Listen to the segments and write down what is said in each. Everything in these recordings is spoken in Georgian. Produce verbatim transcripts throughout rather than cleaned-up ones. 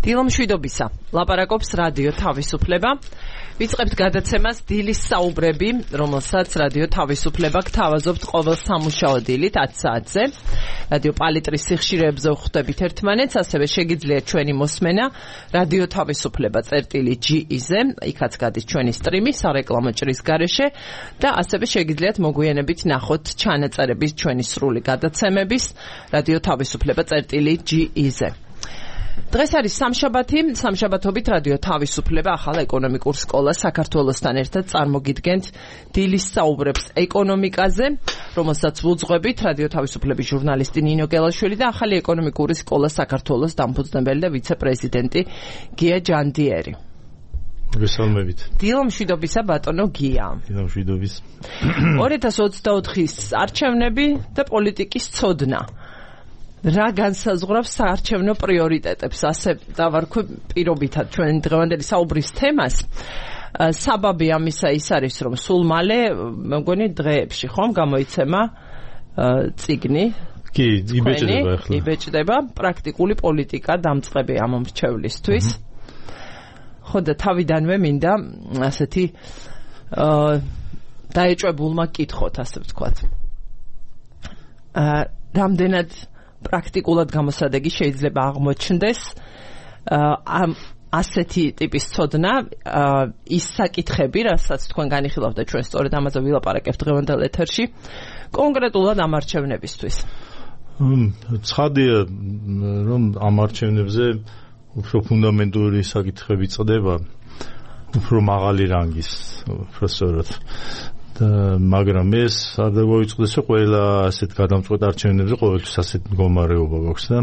დილომშვიდობისა. ლაპარაკობს რადიო თავისუფლება. ვიწყებთ გადაცემას დილის საუბრები, რომელსაც რადიო თავისუფლება გთავაზობთ ყოველ სამუშაო დილით ათ საათზე. რადიო პალიტრის სიხშირეებზე ვხვდებით ერთმანეთს, ასევე შეგიძლიათ ჩვენი მოსმენა რადიო თავისუფლება წერტილი ჯი-ზე, იქაც გადის ჩვენი სტრიმი სარეკლამო ჭრის გარეშე და ასევე შეგიძლიათ მოგვიანებით ნახოთ ჩანაწერების ჩვენი სრული გადაცემების რადიო თავისუფლება წერტილი ჯი-ზე. დღეს არის სამშაბათი, სამშაბათობით რადიო თავისუფლება ახალ ეკონომიკურ სკოლას საქართველოსთან ერთად წარმოგიდგენთ დილის საუბრებს ეკონომიკაზე, რომელსაც ვუძღვებით რადიო თავისუფლების ჟურნალისტი ნინო გელაშვილი და ახალი ეკონომიკური სკოლა საქართველოს დამფუძნებელი და ვიცე-პრეზიდენტი გია ჯანდიერი. მოგესალმებით. დილომშვიდობისა ბატონო გია. დილომშვიდობის. ორი ათას ოცდაოთხის არჩევნები და პოლიტიკის ცოდნა. რა განსაზღვრავს საარჩევნო პრიორიტეტებს, ასე დავარქვი პირობითად ჩვენ დღევანდელი საუბრის თემას. საბაბი ამისა ის არის, რომ სულ მალე, მეგონი დღეებში ხომ გამოიცემა წიგნი. კი, იბეჭდება ახლა. იბეჭდება პრაქტიკული პოლიტიკა დამწყები ამ მრჩევლისთვის. ხო და თავიდანვე მინდა ასეთი დაეჭვებულმა კითხოთ, ასე ვთქვათ. რამდენად პრაქტიკულად გამოსადეგი შეიძლება აღმოჩნდეს ამ ასეთი ტიპის ცოდნა, ის საკითხები, რასაც თქვენ განიხილავთ და ჩვენ სწორედ ამაზე ვილაპარაკებთ დღევანდელ ეთერში, კონკრეტულად ამ არჩევნებისთვის. ცხადია, რომ ამ არჩევნებზე უფრო ფუნდამენტური საკითხები წდება, უფრო მაღალი რანგის, უფრო სწორად. მაგრამ ეს არ დაგვიწყდეს, რომ ყველა ასეთ გადამწყვეტ არჩევნებზე ყოველთვის ასეთ მდგომარეობა გვაქვს და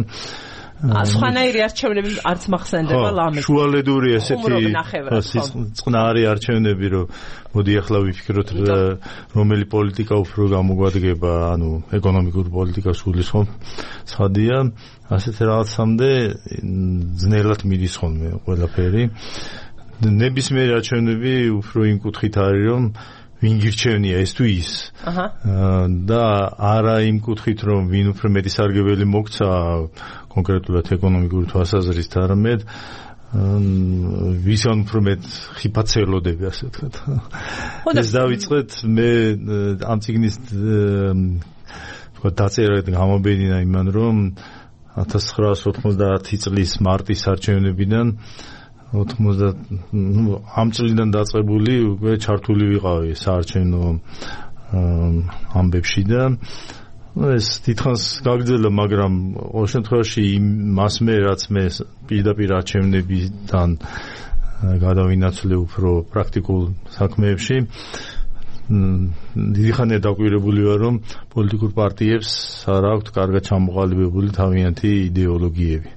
სხვანაირი არჩევნები არც მახსენდება ლამაზი. შუალედური ასეთი წყნარი არჩევნები, რომ მოდი ახლა ვიფიქროთ რომელი პოლიტიკა უფრო გამოგვადგება, ანუ ეკონომიკური პოლიტიკა სულისხმობ. ცხადია, ასეთ რაღაცამდე ძნელად მიდის ხოლმე ყველაფერი. ნებისმიერი არჩევნები უფრო იმ კუთხით არის, რომ ვინ გირჩევნია ეს თუ ის და არა იმ კუთხით, რომ ვინ უფრო მეტი სარგებელი მოგცა კონკრეტულად ეკონომიკური თვალსაზრისით, არამედ ვისგან უფრო მეტ ხიფათს ელოდები, ასე ვთქვათ. ეს დავიწყეთ მე ამ წიგნის დაწერა გამომბედინა იმან, რომ ათას ცხრაას ოთხმოცდაათი წლის მარტის არჩევნებიდან ოთხმოცდა ამ წლიდან დაწყებული უკვე ჩართული ვიყავი საარჩევნო ამბებში და ეს თითქოს გაგრძელდა, მაგრამ ყოველ შემთხვევაში მასმე რაც მე პირდაპირ არჩევნებიდან გადავინაცვლე უფრო პრაქტიკულ საქმეებში, დიდი ხანია დაკვირებული ვარ, რომ პოლიტიკურ პარტიებს არ აქვთ კარგად ჩამოყალიბებული თავიანთი იდეოლოგიები.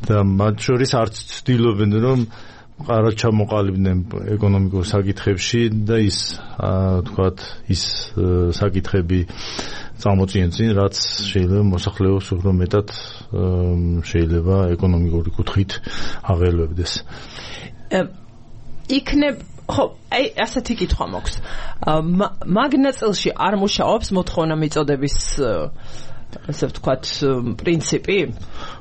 და მათ შორის არც ცდილობენ, რომ კარგად ჩამოყალიბდნენ ეკონომიკურ საკითხებში და ის, თქვათ, ის საკითხები წამოწიენ წინ, რაც შეიძლება მოსახლეობას უფრო მეტად შეიძლება ეკონომიკური კუთხით აღელვებდეს. იქნებ, ხო, აი, ასეთი კითხვა მაქვს. მაგ ნაწილში არ მუშაობს მოთხოვნა მიწოდების ასე ვთქვათ პრინციპი?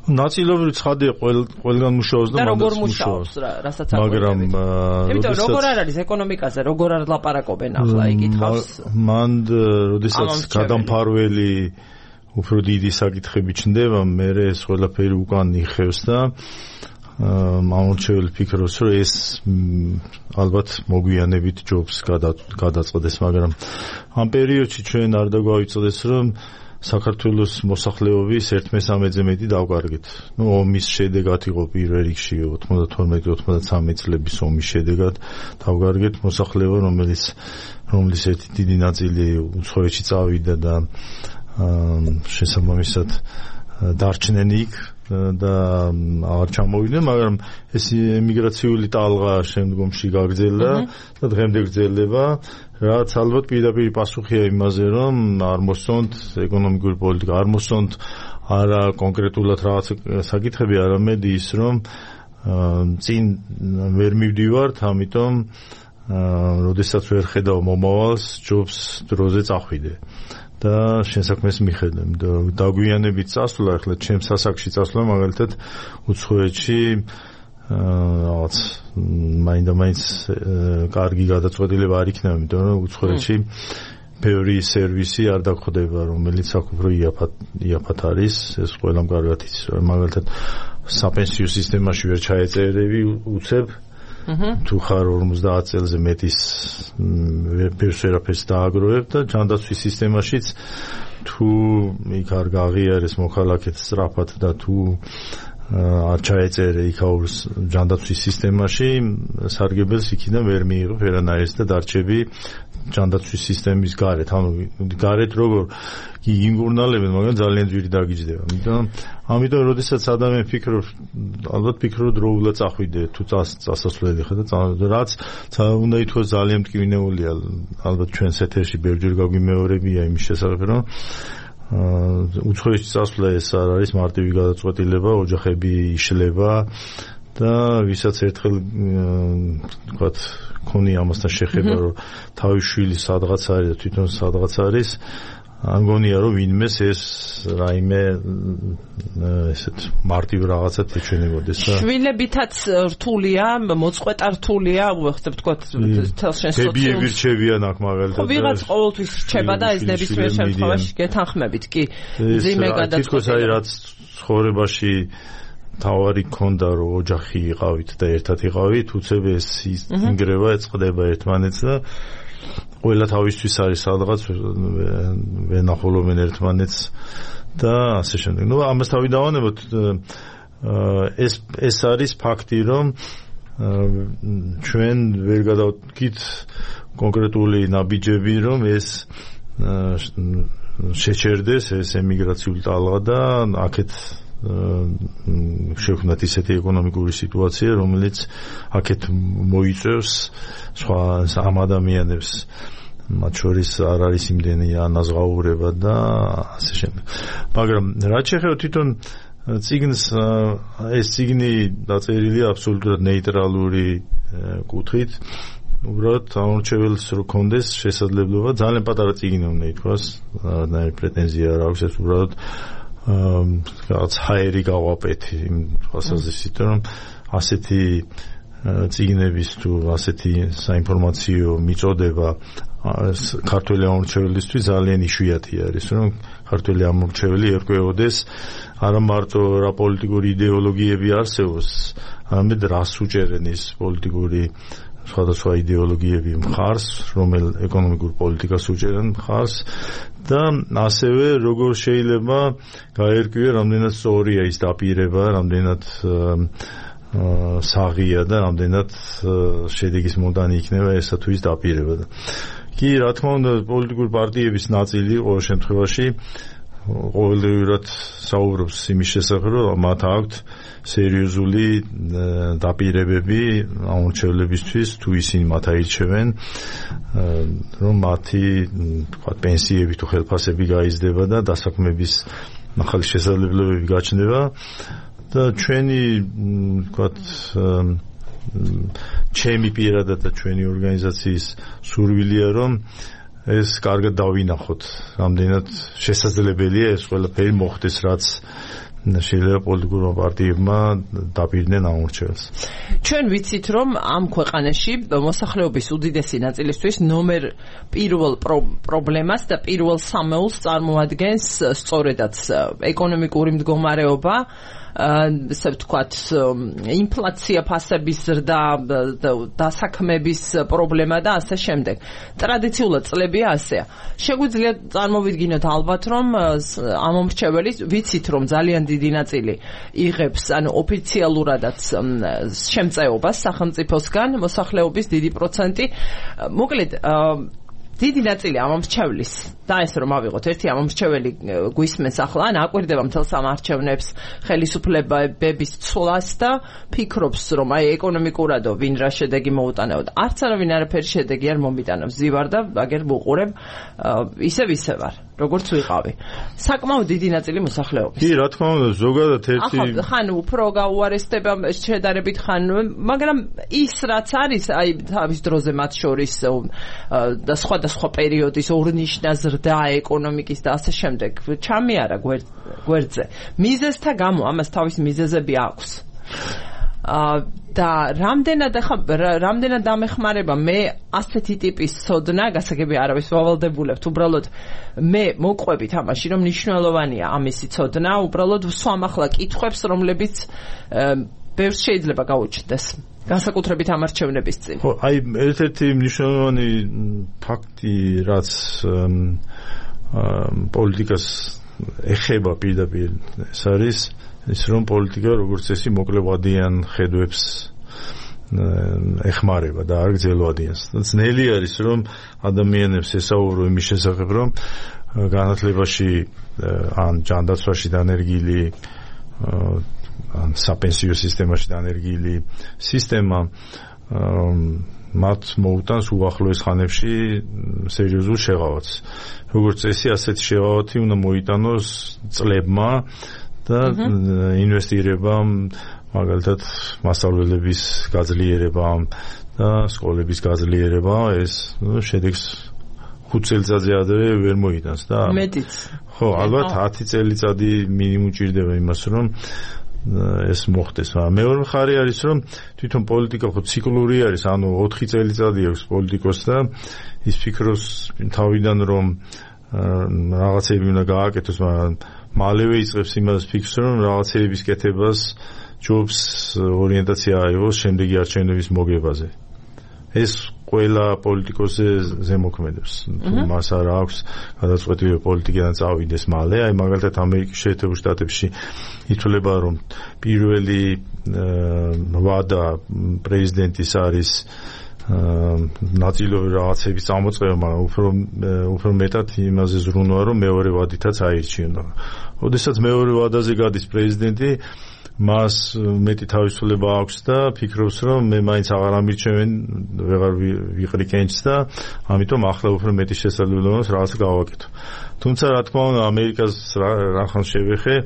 ნაწილობრივ ცხადია, ყველგან მუშაობს და როგორ მუშაობს, რასაც არ მაგრამ იმიტომ როგორ არ არის ეკონომიკაზე, როგორ არ ლაპარაკობენ ახლა იკითხავს. მან როდესაც გადამფარველი უფრო დიდი საკითხები ჩნდება, მე ეს ყველაფერი უკან იხევს და მომრჩეველი ფიქრობს, რომ ეს ალბათ მოგვიანებით ჯობს გადაწყდეს, მაგრამ ამ პერიოდში ჩვენ არ დაგვავიწყდეს, რომ საქართველოს მოსახლეობის ერთ მესამედზე მეტი დავკარგეთ. ნუ ომის შედეგად იყო პირველ რიგში ოცდათორმეტი ოცდათსამეტი წლების ომის შედეგად დავკარგეთ მოსახლეობა, რომელიც რომლის ერთი დიდი ნაწილი უცხოეთში წავიდა და შესაბამისად დარჩნენ იქ და არ ჩამოვიდნენ, მაგრამ ეს ემიგრაციული ტალღა შემდგომში გაგრძელდა და დღემდე გრძელდება, რაც ალბათ პირდაპირ პასუხია იმაზე, რომ არ მოსწონთ ეკონომიკური პოლიტიკა, არ მოსწონთ არა კონკრეტულად რაღაც საკითხები, არამედ ის, რომ წინ ვერ მივდივართ, ამიტომ როდესაც ვერ ხედავ მომავალს, ჯობს დროზე წახვიდე. და შენ საქმეს მიხედავ და დაგვიანებით წასვლა ახლა ჩემს სასაკში წასვლა მაგალითად უცხოეთში რაღაც მაინდა-მაინც კარგი გადაწყვეტილება არ იქნება, იმიტომ რომ უცხოეთში ბევრი სერვისი არ დაგხვდება, რომელიც აქ უფრო იაფად იაფად არის, ეს ყველამ კარგად იცის. მაგალითად საპენსიო სისტემაში ვერ ჩაეწერები უცებ თუ ხარ ორმოცდაათ წელზე მეტის ბევრს ვერაფერს დააგროვებ და ჯანდაცვის სისტემაშიც თუ იქ არ გაღიარეს მოქალაქეთ სწრაფად და თუ არ ჩაეწერე იქაურს ჯანდაცვის სისტემაში სარგებელს იქიდან ვერ მიიღო ვერანაირს და დარჩები ჯანდაცვის სისტემის გარეთ. ანუ გარეთ როგორ გიგინგურნალებენ, მაგრამ ძალიან ძვირი დაგიჯდება. ამიტომ ამიტომ როდესაც ადამიანი ფიქრობს, ალბათ ფიქრობ დროულად წახვიდე თუ წასასვლელი ხარ და რაც უნდა ითქვას ძალიან მტკივნეულია. ალბათ ჩვენს ეთერში ბევრჯერ გაგვიმეორებია იმის შესახებ, რომ უცხოეთში წასვლა ეს არ არის მარტივი გადაწყვეტილება, ოჯახები იშლება და ვისაც ერთხელ ვთქვათ ქონი ამასთან შეხება, რომ თავის შვილი სადღაც არის და თვითონ სადღაც არის, არ მგონია რომ ვინმეს ეს რაიმე ესეთ მარტივ რაღაცად ეჩვენებოდეს და შვილებითაც რთულია, მოწყვეტა რთულია, უხსებ თქოთ თელს შენ სოციალურ თებიები რჩებიან აქ მაგალითად. ვიღაც ყოველთვის რჩება და ეს ნებისმიერ შემთხვევაში გეთანხმებით კი ძიმე გადაწყვეტილება. თითქოს აი რაც ცხოვრებაში თავარი ქონდა რომ ოჯახი იყავით და ერთად იყავით, უცებ ეს ინგრევა ეწყდება ერთმანეთს და ყველა თავისთვის არის სადღაც ვენახულობენ ერთმანეთს და ასე შემდეგ. ნუ ამას თავი დავანებოთ, ეს ეს არის ფაქტი, რომ ჩვენ ვერ გადავდგით კონკრეტული ნაბიჯები, რომ ეს შეჩერდეს ეს ემიგრაციული ტალღა და აქეთ შევქმნათ ისეთი ეკონომიკური სიტუაცია, რომელიც აქეთ მოიწევს სხვა ამ ადამიანებს, მათ შორის არ არის იმდენი ანაზღაურება და ასე შემდეგ. მაგრამ რაც შეეხება თვითონ წიგნს, ეს წიგნი დაწერილია აბსოლუტურად ნეიტრალური კუთხით. უბრალოდ ამორჩეველს რო კონდეს შესაძლებლობა, ძალიან პატარა წიგნი უნდა ითქვას, არანაირი პრეტენზია არ აქვს, ეს უბრალოდ რაღაც ჰაერი გავაპეთი იმ თვალსაზრისით, რომ ასეთი წიგნების თუ ასეთი საინფორმაციო მიწოდება ქართველი ამორჩეველისთვის ძალიან იშვიათი არის, რომ ქართველი ამორჩეველი ერკვეოდეს არა მარტო რა პოლიტიკური იდეოლოგიები არსებობს, არამედ რას უჭერენ ის პოლიტიკური სხვადასხვა იდეოლოგიები მხარს, რომელ ეკონომიკურ პოლიტიკას უჭერენ მხარს და ასევე როგორ შეიძლება გაერკვიო, რამდენად სწორია ის დაპირება, რამდენად საღია და რამდენად შედეგის მომდანი იქნება ესა თუ ის დაპირება. კი, რა თქმა უნდა, პოლიტიკური პარტიების ნაწილი ყოველ შემთხვევაში ყოველდღიურად საუბრობს იმის შესახებ, რომ მათ აქვთ სერიოზული დაპირებები ამორჩევლებისთვის, თუ ისინი მათ აირჩევენ, რომ მათი თქვა პენსიები თუ ხელფასები გაიზრდება და დასაქმების ახალი შესაძლებლობები გაჩნდება და ჩვენი თქვა ჩემი პირადად და ჩვენი ორგანიზაციის სურვილია, რომ ეს კარგად დავინახოთ, რამდენად შესაძლებელია ეს ყველაფერი მოხდეს, რაც შეიძლება პოლიტიკურმა პარტიებმა დაპირდნენ ამორჩეველს. ჩვენ ვიცით, რომ ამ ქვეყანაში მოსახლეობის უდიდესი ნაწილისთვის ნომერ პირველ პრობლემას და პირველ სამეულს წარმოადგენს სწორედაც ეკონომიკური მდგომარეობა, ესე ვთქვათ, ინფლაცია, ფასების ზრდა, დასაქმების პრობლემა და ასე შემდეგ. ტრადიციულად წლებია ასეა. შეგვიძლია წარმოვიდგინოთ ალბათ, რომ ამომრჩეველი, ვიცით, რომ ძალიან დიდი ნაწილი იღებს, ანუ ოფიციალურადაც შემწეობას სახელმწიფოსგან, მოსახლეობის დიდი პროცენტი. მოკლედ, დიდი ნაწილი ამომრჩევლის და ეს რომ ავიღოთ, ერთი ამომრჩეველი გვისმენს ახლა, ან აკვირდება მთელს ამ არჩევნებს ხელისუფლებების ცვლას და ფიქრობს, რომ აი ეკონომიკურადო ვინ რა შედეგი მოუტანეოდა. არც არავინ არაფერი შედეგი არ მომიტანებს. ზივარ და აგერ ვუყურებ, ისევ ისე ვარ. როგორც ვიყავი. საკმაოდ დიდი ნაწილი მოსახლეობის. კი, რა თქმა უნდა, ზოგადად ერთი ახლა ხან უფრო გაუარესდება შედარებით ხან, მაგრამ ის რაც არის, აი თავის დროზე მათ შორის და სხვადასხვა პერიოდის ორნიშნა ზრდა ეკონომიკის და ასე შემდეგ ჩამიარა გვერდზე. მიზეზთა გამო ამას თავის მიზეზები აქვს. და რამდენად ახლა რამდენად დამეხმარება მე ასეთი ტიპის ცოდნა, გასაგები არავის ვავალდებულებთ, უბრალოდ მე მოყვებით ამაში, რომ მნიშვნელოვანია ამისი ცოდნა, უბრალოდ ვსვამ ახლა კითხვებს, რომლებიც ბევრს შეიძლება გაუჩნდეს. განსაკუთრებით ამ არჩევნების წინ. ხო, აი ერთ-ერთი მნიშვნელოვანი ფაქტი, რაც პოლიტიკას ეხება პირდაპირ, ეს არის ის რომ პოლიტიკა როგორც წესი მოკლევადიან ხედვებს ეხმარება და არ გრძელვადიანს. ძნელი არის რომ ადამიანებს ესაუბრო იმის შესახებ რომ განათლებაში ან ჯანდაცვაში დანერგილი ან საპენსიო სისტემაში დანერგილი სისტემა მათ მოუტანს უახლოეს ხანებში სერიოზულ შეღავათს. როგორც წესი ასეთი შეღავათი უნდა მოიტანოს წლებმა და ინვესტირებამ, მაგალითად მასწავლებლების გაძლიერებამ და სკოლების გაძლიერებამ ეს შედეგს ხუთ წელიწადზე ადრე ვერ მოიტანს და მეტიც. ხო, ალბათ ათი წელიწადი მინიმუმ ჭირდება იმას რომ ეს მოხდეს. მეორე მხარე არის რომ თვითონ პოლიტიკა ხო ციკლური არის, ანუ ოთხი წელიწადი აქვს პოლიტიკოს და ის ფიქრობს თავიდან რომ რაღაცები უნდა გააკეთოს, მაგრამ მალევე იწყებს იმას ფიქრს რომ რაღაცების კეთებას ჯობს ორიენტაცია აიღოს შემდეგი არჩევნების მოგებაზე. ეს ყველა პოლიტიკოსზე ზემოქმედებს. მას არ აქვს გადაწყვეტილი პოლიტიკიდან წავიდეს მალე. აი მაგალითად ამერიკის შეერთებულ შტატებში ითვლება რომ პირველი ვადა პრეზიდენტის არის ნაწილობრივ რაღაცების წამოწყება, მაგრამ უფრო უფრო მეტად იმაზე ზრუნვა რომ მეორე ვადითაც აირჩიონ. ოდესაც მეორე ვადაზე გადის პრეზიდენტი, მას მეტი თავისუფლება აქვს და ფიქრობს რომ მე მაინც აღარ ამირჩევენ, ვეღარ ვიყრი კენჭს და ამიტომ ახლა უფრო მეტი შესაძლებლობა აქვს რაღაც გავაკეთო. თუმცა რა თქმა უნდა ამერიკას რახან შევეხე,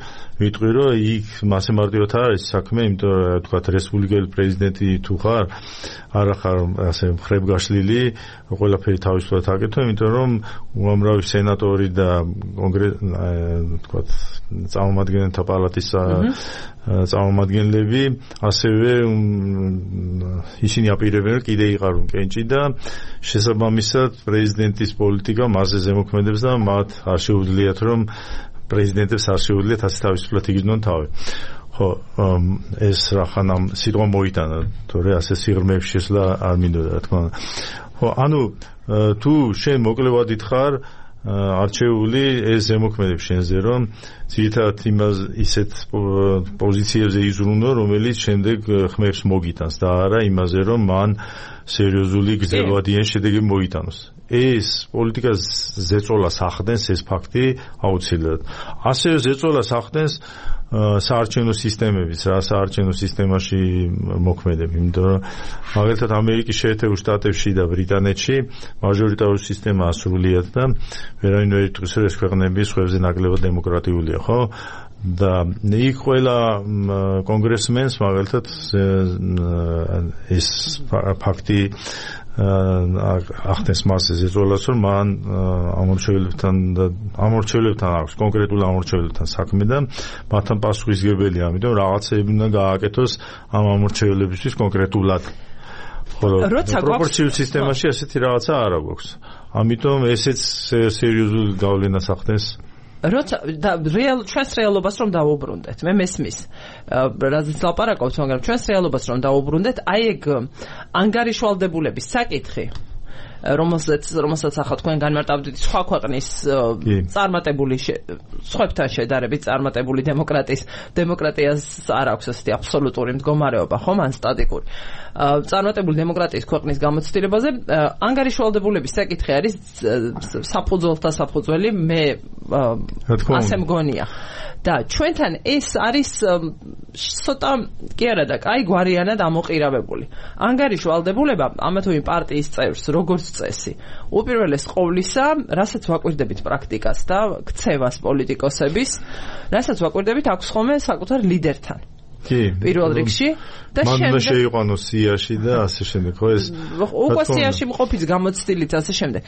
ვიტყვი რომ იქ მასე მარტივად არ არის საქმე, იმიტომ რომ თქვათ რესპუბლიკელი პრეზიდენტი თუ ხარ, არ ხარ ასე მხრებგაშლილი, ყველაფერი თავისუფლად აკეთო, იმიტომ რომ უამრავი სენატორი და კონგრესი თქვათ წარმომადგენელთა პალატის წარმომადგენლები ასევე ისინი აპირებენ რომ კიდე იყარონ კენჭი და შესაბამისად პრეზიდენტის პოლიტიკა მასზე ზემოქმედებს და მათ არ შეუძლიათ რომ პრეზიდენტებს არ შეუძლიათ ასე თავისუფლად იგრძნონ თავი. ხო, ეს რახან ამ სიტყვა მოიტანა, თორე ასე სიღრმეებში შესვლა არ მინდოდა, რა თქმა უნდა. ხო, ანუ თუ შენ მოკლევადით ხარ არჩეული, ეს ზემოქმედებს შენზე რომ ძირითადად იმას ისეთ პოზიციებზე იზრუნო, რომელიც შემდეგ ხმებს მოგიტანს და არა იმაზე რომ მან სერიოზული გრძელვადიანი შედეგი მოიტანოს. ეს პოლიტიკას ზეწოლას ახდენს ეს ფაქტი აუცილებლად. ასევე ზეწოლას ახდენს საარჩევნო სისტემებიც, რა საარჩევნო სისტემაში მოქმედები, იმიტომ რომ მაგალითად ამერიკის შეერთებულ შტატებში და ბრიტანეთში მაჟორიტარული სისტემაა სრულიად და ვერავინ ვერ იტყვის რომ ეს ქვეყნები სხვებზე ნაკლებად დემოკრატიულია, ხო? და იქ ყველა კონგრესმენს მაგალითად ეს ფაქტი ახდენს მასზე ზეწოლას რომ მან ამორჩეულებთან და ამორჩეულებთან აქვს კონკრეტულ ამორჩეულებთან საქმე და მათთან პასუხისგებელია, ამიტომ რაღაცები უნდა გააკეთოს ამ ამორჩეულებისთვის კონკრეტულად. ხოლო პროპორციულ სისტემაში ასეთი რაღაცა არ აქვს. ამიტომ ესეც სერიოზულ გავლენას ახდენს. როცა რეალ ჩვენს რეალობას რომ დავუბრუნდეთ, მე მესმის რაზეც ლაპარაკობთ, მაგრამ ჩვენს რეალობას რომ დავუბრუნდეთ, აი ეგ ანგარიშვალდებულების საკითხი, რომელსაც რომელსაც ახლა თქვენ განმარტავდით სხვა ქვეყნის წარმატებული სხვებთან შედარებით წარმატებული დემოკრატიის დემოკრატიას არ აქვს ასეთი აბსოლუტური მდგომარეობა, ხომ, ან სტატიკური. წარმატებული დემოკრატიის ქვეყნის გამოცდილებაზე ანგარიშვალდებულების საკითხი არის საფუძველთა საფუძველი, მე ასე მგონია. და ჩვენთან ეს არის ცოტა კი არა და კაი გვარიანად ამოყირავებული. ანგარიშვალდებულება ამა თუ იმ პარტიის წევრს, როგორც წესი. უპირველეს ყოვლისა, რასაც ვაკვირდებით პრაქტიკას და ქცევას პოლიტიკოსების, რასაც ვაკვირდებით აქვს ხოლმე საკუთარ ლიდერთან. კი, პირველ რიგში და შემდეგ მან შეიყვანოს სიაში და ასე შემდეგ, ხო ეს უკვე სიაში მყოფიც გამოცდილით ასე შემდეგ.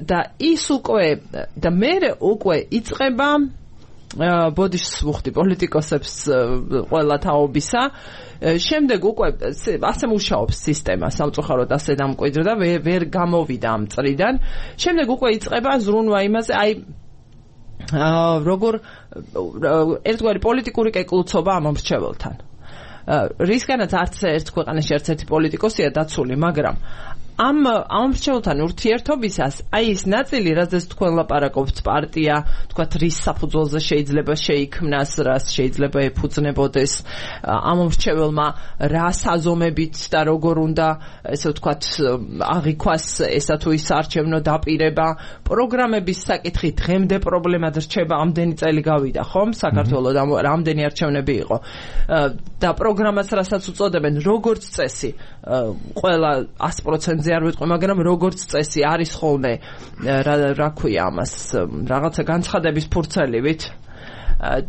და ის უკვე და მე უკვე იწყება ბოდიშს ვუხდი პოლიტიკოსებს ყველა თაობისა. შემდეგ უკვე ასე მუშაობს სისტემა, სამწუხაროდ ასე დამკვიდრდა, ვერ გამოვიდა ამ წრიდან. შემდეგ უკვე იწყება ზრუნვა იმაზე, აი როგორ ერთგვარი პოლიტიკური კეკლუცობა ამ მრჩეველთან. რისგანაც არც ერთ ქვეყანაში არც ერთი პოლიტიკოსია დაცული, მაგრამ ამ ამ მრჩეველთან ურთიერთობისას აი ის ნაწილი, რაზეც თქვენ ლაპარაკობთ, პარტია, თქვათ რის საფუძველზე შეიძლება შეიქმნას, რას შეიძლება ეფუძნებოდეს ამ მრჩეველმა, რა საზომებით და როგორ უნდა, ესე ვთქვათ, აღიქვას ესა თუ ის არჩევნო დაპირება, პროგრამების საკითხი დღემდე პრობლემად რჩება, ამდენი წელი გავიდა, ხომ? საქართველოს რამდენი არჩევნები იყო. და პროგრამას რასაც უწოდებენ, როგორც წესი, ყველა ას პროცენტზე არ ვიტყვი, მაგრამ როგორც წესი არის ხოლმე რა რა ქვია ამას, რაღაცა განცხადების ფურცელივით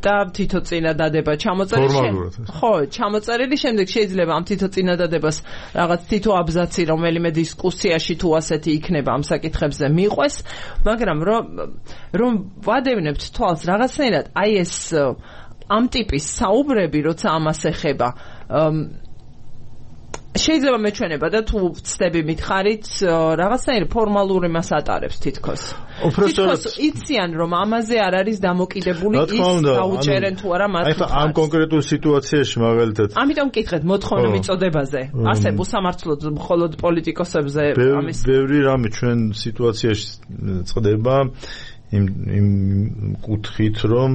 და თითო წინადადება ჩამოწერილი. ხო, ჩამოწერილი, შემდეგ შეიძლება ამ თითო წინადადებას რაღაც თითო აბზაცი რომელიმე დისკუსიაში თუ ასეთი იქნება ამ საკითხებზე მიყვეს, მაგრამ რომ რომ ვადევნებთ თვალს რაღაცნაირად აი ეს ამ ტიპის საუბრები, როცა ამას ეხება, შეიძლება მეჩვენება და თუ ვცდები მითხარით, რაღაცნაირი ფორმალური მას ატარებს თითქოს. თითქოს იციან, რომ ამაზე არ არის დამოკიდებული ის დაუჭერენ თუ არა მას. აი ამ კონკრეტულ სიტუაციაში მაგალითად. ამიტომ მკითხეთ მოთხოვნა მიწოდებაზე. ასე უსამართლოდ მხოლოდ პოლიტიკოსებზე ამის. ბევრი რამე ჩვენ სიტუაციაში წდება იმ იმ კუთხით, რომ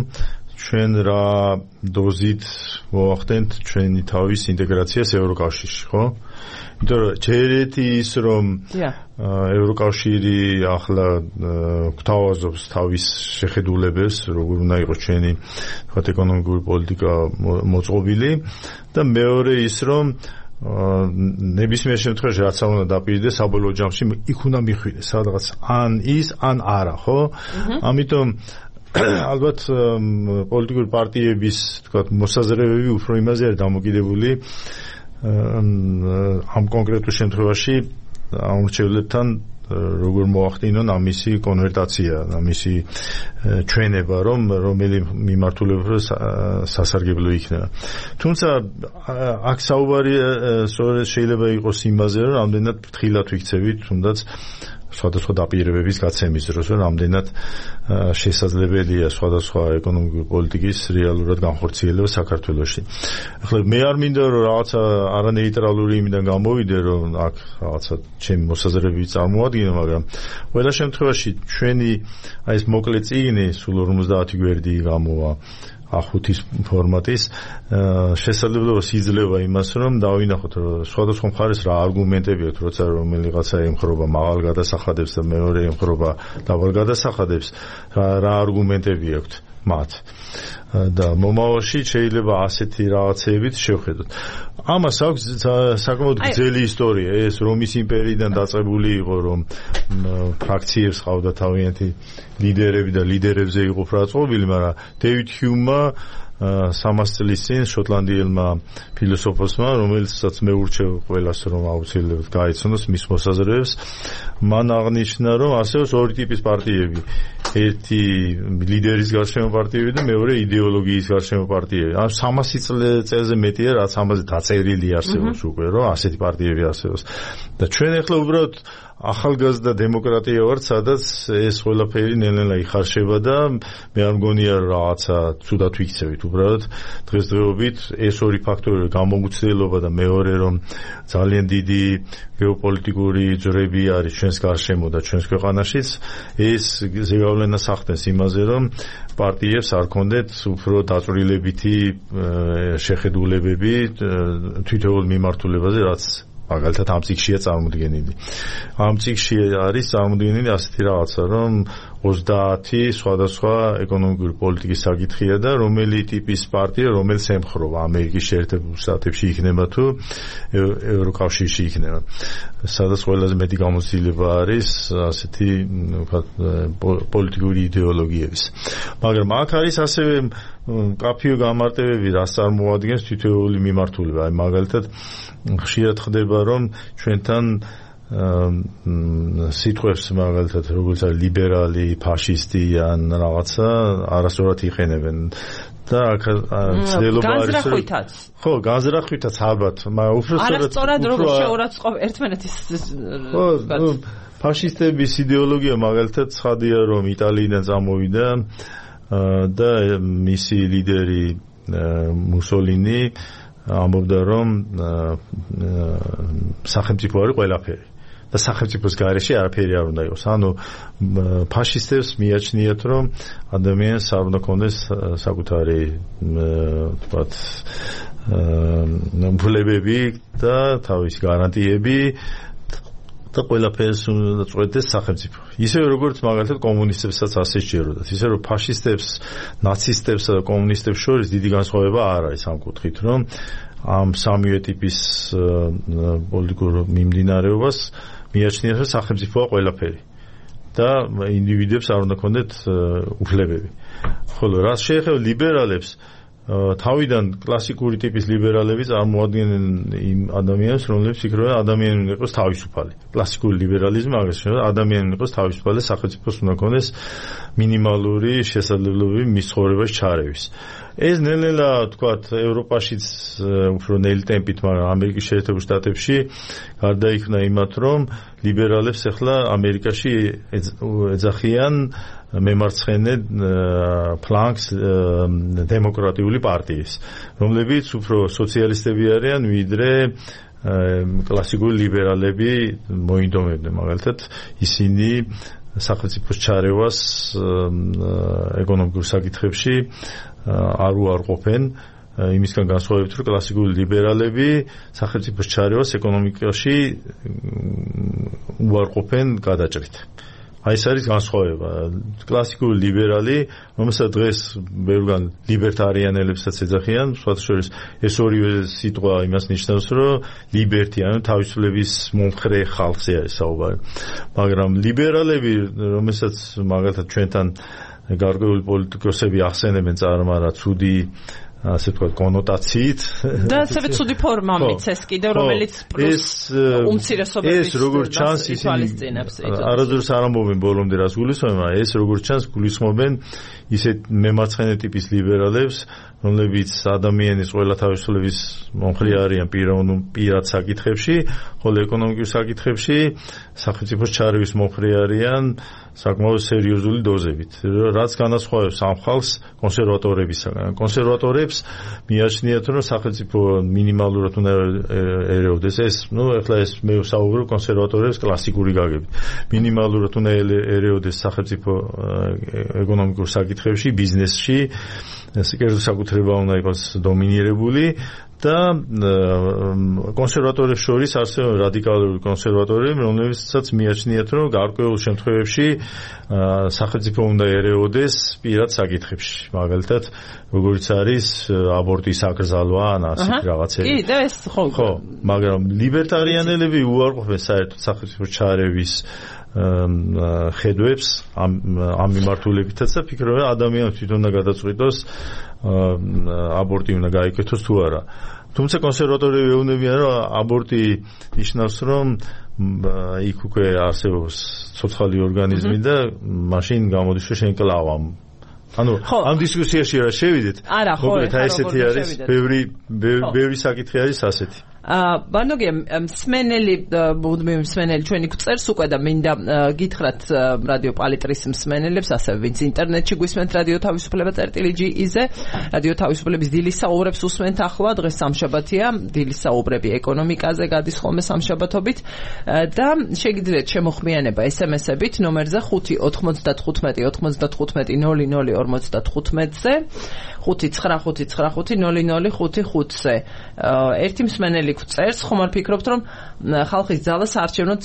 ჩვენ რა დოზით მოახდენთ ჩვენი თავის ინტეგრაციას ევროკავშირში, ხო? იმიტომ რომ ჯერეთი ის რომ ევროკავშირი ახლა გვთავაზობს თავის შეხედულებებს, როგორ უნდა იყოს ჩვენი თქვათ ეკონომიკური პოლიტიკა მოწყობილი და მეორე ის რომ ნებისმიერ შემთხვევაში რაც არ უნდა დაპირდეს საბოლოო ჯამში იქ უნდა მიხვიდეს სადღაც ან ის ან არა, ხო? ამიტომ ალბათ პოლიტიკური პარტიების თქვათ მოსაზრებები უფრო იმაზე არის დამოკიდებული ამ კონკრეტულ შემთხვევაში ამ მრჩევლებთან როგორ მოახდინონ ამისი კონვერტაცია, ამისი ჩვენება, რომ რომელი მიმართულება სასარგებლო იქნება. თუმცა აქ საუბარი სწორედ შეიძლება იყოს იმაზე, რომ რამდენად ფრთხილად ვიქცევით, თუნდაც სხვადასხვა დაპირებების გაცემის დროს, რომ რამდენად შესაძლებელია სხვადასხვა ეკონომიკური პოლიტიკის რეალურად განხორციელება საქართველოში. ახლა მე არ მინდა რომ რაღაცა არანეიტრალური იმიდან გამოვიდე, რომ აქ რაღაცა ჩემი მოსაზრებები წარმოადგინო, მაგრამ ყველა შემთხვევაში ჩვენი აი ეს მოკლე წიგნი სულ ორმოცდაათი გვერდი გამოვა ახუთის ფორმატის შესაძლებლობას იძლევა იმას, რომ დავინახოთ სხვადასხვა მხარეს რა არგუმენტები აქვს, როცა რომელიღაცა ემხრობა მაღალ გადასახადებს და მეორე ემხრობა დაბალ გადასახადებს, რა არგუმენტები აქვს მათ. და მომავალში შეიძლება ასეთი რაღაცეებით შევხედოთ. ამას აქვს საკმაოდ გრძელი ისტორია, ეს რომის იმპერიიდან დაწყებული იყო, რომ ფრაქციებს ყავდა თავიანთი ლიდერები და ლიდერებზე იყო ბრალწყობილი, მაგრამ დევიდ ჰიუმმა სამას წლის წინ შოტლანდიელმა ფილოსოფოსმა, რომელსაც მე ურჩევ ყველას, რომ აუცილებლად გაიცნოს მის მოსაზრებებს, მან აღნიშნა, რომ არსებობს ორი ტიპის პარტიები. ერთი ლიდერის გარშემო პარტიები და მეორე იდეოლოგიის გარშემო პარტიები. ან სამასი წელზე მეტია, რაც ამაზე დაწერილი არსებობს უკვე, რომ ასეთი პარტიები არსებობს. და ჩვენ ახლა უბრალოდ ახალგაზრდა დემოკრატია ვართ, სადაც ეს ყველაფერი ნელ-ნელა იხარშება და მე არ მგონია რაღაცა ცუდად ვიქცევით. უბრალოდ დღესდღეობით ეს ორი ფაქტორი, გამოუცდელობა და მეორე რომ ძალიან დიდი გეოპოლიტიკური ძვრები არის ჩვენს გარშემო და ჩვენს ქვეყანაშიც, ეს ზეგავლენას ახდენს იმაზე, რომ პარტიებს არ კონდეთ უფრო დაწვრილებითი შეხედულებები თითოეულ მიმართულებაზე, რაც მაგალითად ამ წიგნშია წარმოდგენილი. ამ წიგნში არის წარმოდგენილი ასეთი რაღაცა, რომ ოცდაათი სხვადასხვა ეკონომიკური პოლიტიკის საკითხია და რომელი ტიპის პარტია რომელს ემხრობა ამერიკის შეერთებულ შტატებში იქნება თუ ევროკავშირში იქნება. სადაც ყველაზე მეტი გამოცდილება არის ასეთი ვთქვათ პოლიტიკური იდეოლოგიების. მაგრამ აქ არის ასევე კაფეო გამარტივები, რაც წარმოადგენს თითოეული მიმართულება. აი მაგალითად ხშირად ხდება რომ ჩვენთან სიტყვებს მაგალითად როგორც არის ლიბერალი, ფაშისტი ან რაღაცა არასწორად იყენებენ და აქ ცდილობა არის განზრახვითაც. ხო, განზრახვითაც ალბათ, მაგრამ უფრო არასწორად როგორ შეურაცხყოფ ერთმანეთის ხო, ფაშისტების იდეოლოგია მაგალითად ცხადია რომ იტალიიდან წამოვიდა და მისი ლიდერი მუსოლინი ამბობდა რომ სახელმწიფო არის ყველაფერი და სახელმწიფოს გარეშე არაფერი არ უნდა იყოს. ანუ ფაშისტებს მიაჩნიათ რომ ადამიანს არ უნდა ქონდეს საკუთარი თქვათ უფლებები და თავისი გარანტიები და ყველაფერს უნდა წყვეტდეს სახელმწიფო. ისე როგორც მაგალითად კომუნისტებსაც ასე სჯეროდათ. ისე რომ ფაშისტებს, ნაცისტებსა და კომუნისტებს შორის დიდი განსხვავება არ არის ამ კუთხით, რომ ამ სამივე ტიპის პოლიტიკურ მიმდინარეობას მიაჩნიათ რომ სახელმწიფოა ყველაფერი და ინდივიდებს არ უნდა ქონდეთ უფლებები. ხოლო რაც შეეხება ლიბერალებს, თავიდან კლასიკური ტიპის ლიბერალები წარმოადგენენ იმ ადამიანებს, რომლებიც ფიქრობენ ადამიანი უნდა იყოს თავისუფალი. კლასიკური ლიბერალიზმი აგრეთვე შეიძლება ადამიანი უნდა იყოს თავისუფალი, სახელმწიფოს უნდა ქონდეს მინიმალური შესაძლებლობები მის ცხოვრებაში ჩარევის. ეს ნელ-ნელა თქვათ ევროპაშიც უფრო ნელი ტემპით, მაგრამ ამერიკის შეერთებულ შტატებში გარდაიქმნა იმათ, რომ ლიბერალებს ახლა ამერიკაში ეძახიან მემარცხენე ფლანგს დემოკრატიული პარტიის, რომლებიც უფრო სოციალისტები არიან, ვიდრე კლასიკური ლიბერალები მოინდომებდნენ. მაგალითად, ისინი სახელმწიფოს ჩარევას ეკონომიკურ საკითხებში არ უარყოფენ, იმისგან განსხვავებით, რომ კლასიკური ლიბერალები სახელმწიფოს ჩარევას ეკონომიკაში უარყოფენ გადაჭრით. აი ეს არის განსხვავება. კლასიკური ლიბერალი, რომელსაც დღეს ბევრგან ლიბერტარიანელებსაც ეძახიან, სხვათა შორის ეს ორივე სიტყვა იმას ნიშნავს, რომ ლიბერტი, ანუ თავისუფლების მომხრე ხალხზე არის საუბარი. მაგრამ ლიბერალები, რომელსაც მაგალითად ჩვენთან გარკვეული პოლიტიკოსები ახსენებენ წარმარა ცუდი ასე ვთქვათ კონოტაციით და ასევე ცუდი ფორმა მიცეს კიდევ რომელიც პლუს უმცირესობების ეს როგორც ჩანს ისინი არასდროს არ ამბობენ ბოლომდე რას გულისხმობენ, მაგრამ ეს როგორც ჩანს გულისხმობენ ისეთ მემარცხენე ტიპის ლიბერალებს, რომლებიც ადამიანის ყველა თავისუფლების მომხრე არიან პირად საკითხებში, ხოლო ეკონომიკურ საკითხებში სახელმწიფოს ჩარევის მომხრე არიან საკმაოდ სერიოზული დოზებით, რაც განასხვავებს ამ ხალხს კონსერვატორებისგან. კონსერვატორებს მიაჩნიათ, რომ სახელმწიფო მინიმალურად უნდა ერეოდეს. ეს, ну, ახლა ეს მე ვსაუბრობ კონსერვატორებს კლასიკური გაგებით. მინიმალურად უნდა ერეოდეს სახელმწიფო ეკონომიკურ საკითხებში, ბიზნესში, კერძო საკუთრება უნდა იყოს დომინირებული და კონსერვატორებს შორის არსებობენ რადიკალური კონსერვატორები, რომლებსაც მიაჩნიათ, რომ გარკვეულ შემთხვევებში სახელმწიფო უნდა ერეოდეს პირად საკითხებში. მაგალითად, როგორც არის აბორტის აკრძალვა ან ასეთი რაღაცები. კი, და ეს ხო. ხო, მაგრამ ლიბერტარიანელები უარყოფენ საერთოდ სახელმწიფოს ჩარევის ხედვებს ამ ამ მიმართულებითაც და ფიქრობენ, ადამიანს თვითონ უნდა გადაწყვიტოს აბორტი უნდა გაიქეთოს თუ არა. თუმცა კონსერვატორები ეუბნებიან, რომ აბორტი ნიშნავს, რომ იქ უკვე არსებობს ცოცხალი ორგანიზმი და მაშინ გამოდის, რომ შენ კლავ ამ ანუ ამ დისკუსიაში რა შევიდეთ? არა, ხო, ესეთი არის, ბევრი ბევრი საკითხი არის ასეთი. აა ბანოგია მსმენელი მუდმივი მსმენელი ჩვენი გვწერს უკვე და მინდა გითხრათ რადიო პალიტრის მსმენელებს, ასევე ვინც ინტერნეტში გვისმენთ რადიო თავისუფლება წერტილი ჯი-ზე, რადიო თავისუფლების დილის საუბრებს უსმენთ ახლა, დღეს სამშაბათია, დილის საუბრები ეკონომიკაზე გადის ხოლმე სამშაბათობით და შეგიძლიათ შემოხმიანება ეს ემ ეს-ებით ნომერზე ხუთი ოთხმოცდათხუთმეტი ოთხმოცდათხუთმეტი ნული ნული ორმოცდათხუთმეტზე ხუთი ცხრა ხუთი ცხრა ხუთი ნული ნული ხუთი ხუთზე. ერთი მსმენელი გვწერს, ხომ არ ფიქრობთ, რომ ხალხის ძალა საარჩევნოდ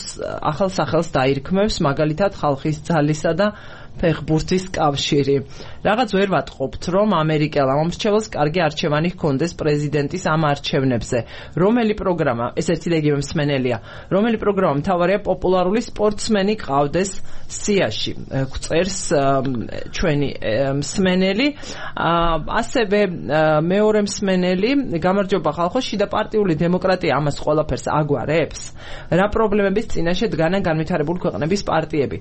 ახალ სახელს დაირქმევს, მაგალითად ხალხის ძალისა და ფეხბურთის კავშირი. Რაღაც ვერ ვატყობთ, რომ ამერიკელ ამომრჩეველს კარგი არჩევანი ჰქონდეს პრეზიდენტის ამ არჩევნებზე. რომელი პროგრამა, ეს ერთი და იგივე მსმენელია, რომელი პროგრამა მთავარია პოპულარული სპორტსმენი ყავდეს სიაში. გვწერს ჩვენი მსმენელი. ასევე მეორე მსმენელი, გამარჯობა ხალხო, შიდა პარტიული დემოკრატია ამას ყველაფერს აგვარებს? რა პრობლემების წინაშე დგანან განვითარებული ქვეყნების პარტიები?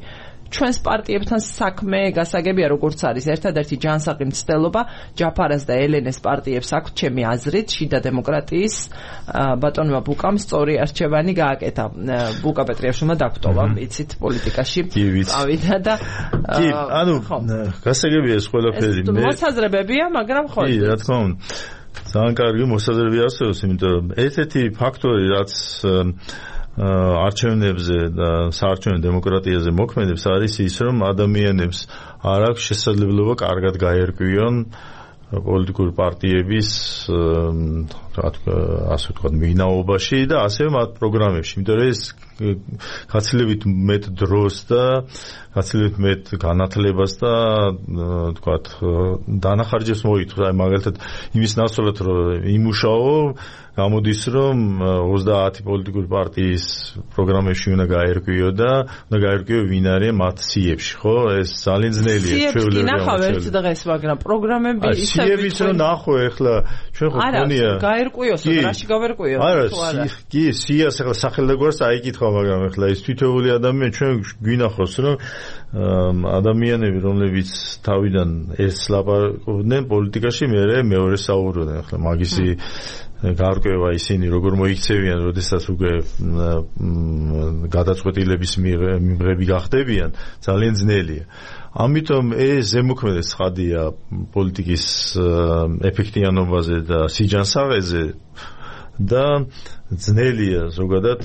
ჩვენს პარტიებთან საქმე გასაგებია, როგორც არის ერთადერთი ჯანსაღი მცდელობა ჯაფარას და ელენეს პარტიებს აქვთ ჩემი აზრით, შიდა დემოკრატიის ბატონმა ბუკამ სწორი არჩევანი გააკეთა. ბუკა პეტრიაშვილმა დაგტოვა, იცით, პოლიტიკაში წავიდა და კი, ანუ გასაგებია ეს ყველაფერი. მოსაზრებებია, მაგრამ ხო. კი, რა თქმა უნდა. ძალიან კარგი მოსაზრებები არსებობს, იმიტომ რომ ერთ-ერთი ფაქტორი, რაც არჩევნებზე და საარჩევნო დემოკრატიაზე მოქმედებს არის ის, რომ ადამიანებს არ აქვს შესაძლებლობა კარგად გაერკვიონ პოლიტიკური პარტიების ასე ვთქვათ მიგნაობაში და ასევე მათ პროგრამებში, იმიტომ რომ ეს გაცილებით მეტ დროს და გაცილებით მეტ განათლებას და ვთქვათ დანახარჯებს მოითხოვს. აი მაგალითად იმის ნაცვლად რომ იმუშაო, გამოდის რომ ოცდაათი პოლიტიკური პარტიის პროგრამებში უნდა გაერკვიო და უნდა გაერკვიო ვინ არის მათ სიებში, ხო? ეს ძალიან ძნელია ჩვეულებრივი. სიებში ნახავ ერთ დღეს, მაგრამ პროგრამები ისე სიების რომ ნახო ახლა ჩვენ ხო გქონია. არა, გაერკვიოს, რაში გავერკვიო? არა, კი, სიას ახლა სახელდაგვარს აიკითხა, მაგრამ ახლა ის თითოეული ადამიანი ჩვენ გვინახავს რომ ადამიანები, რომლებიც თავიდან ეს ლაპარაკობდნენ პოლიტიკაში, მერე მეორე საუბრობდნენ. ახლა მაგისი გარკვევა ისინი როგორ მოიქცევიან, როდესაც უკვე გადაწყვეტილების მიღები გახდებიან, ძალიან ძნელია. ამიტომ ეს ზემოქმეdes ცხადია პოლიტიკის ეფექტიანობაზე და სიჯანსაღეზე და ძნელია ზოგადად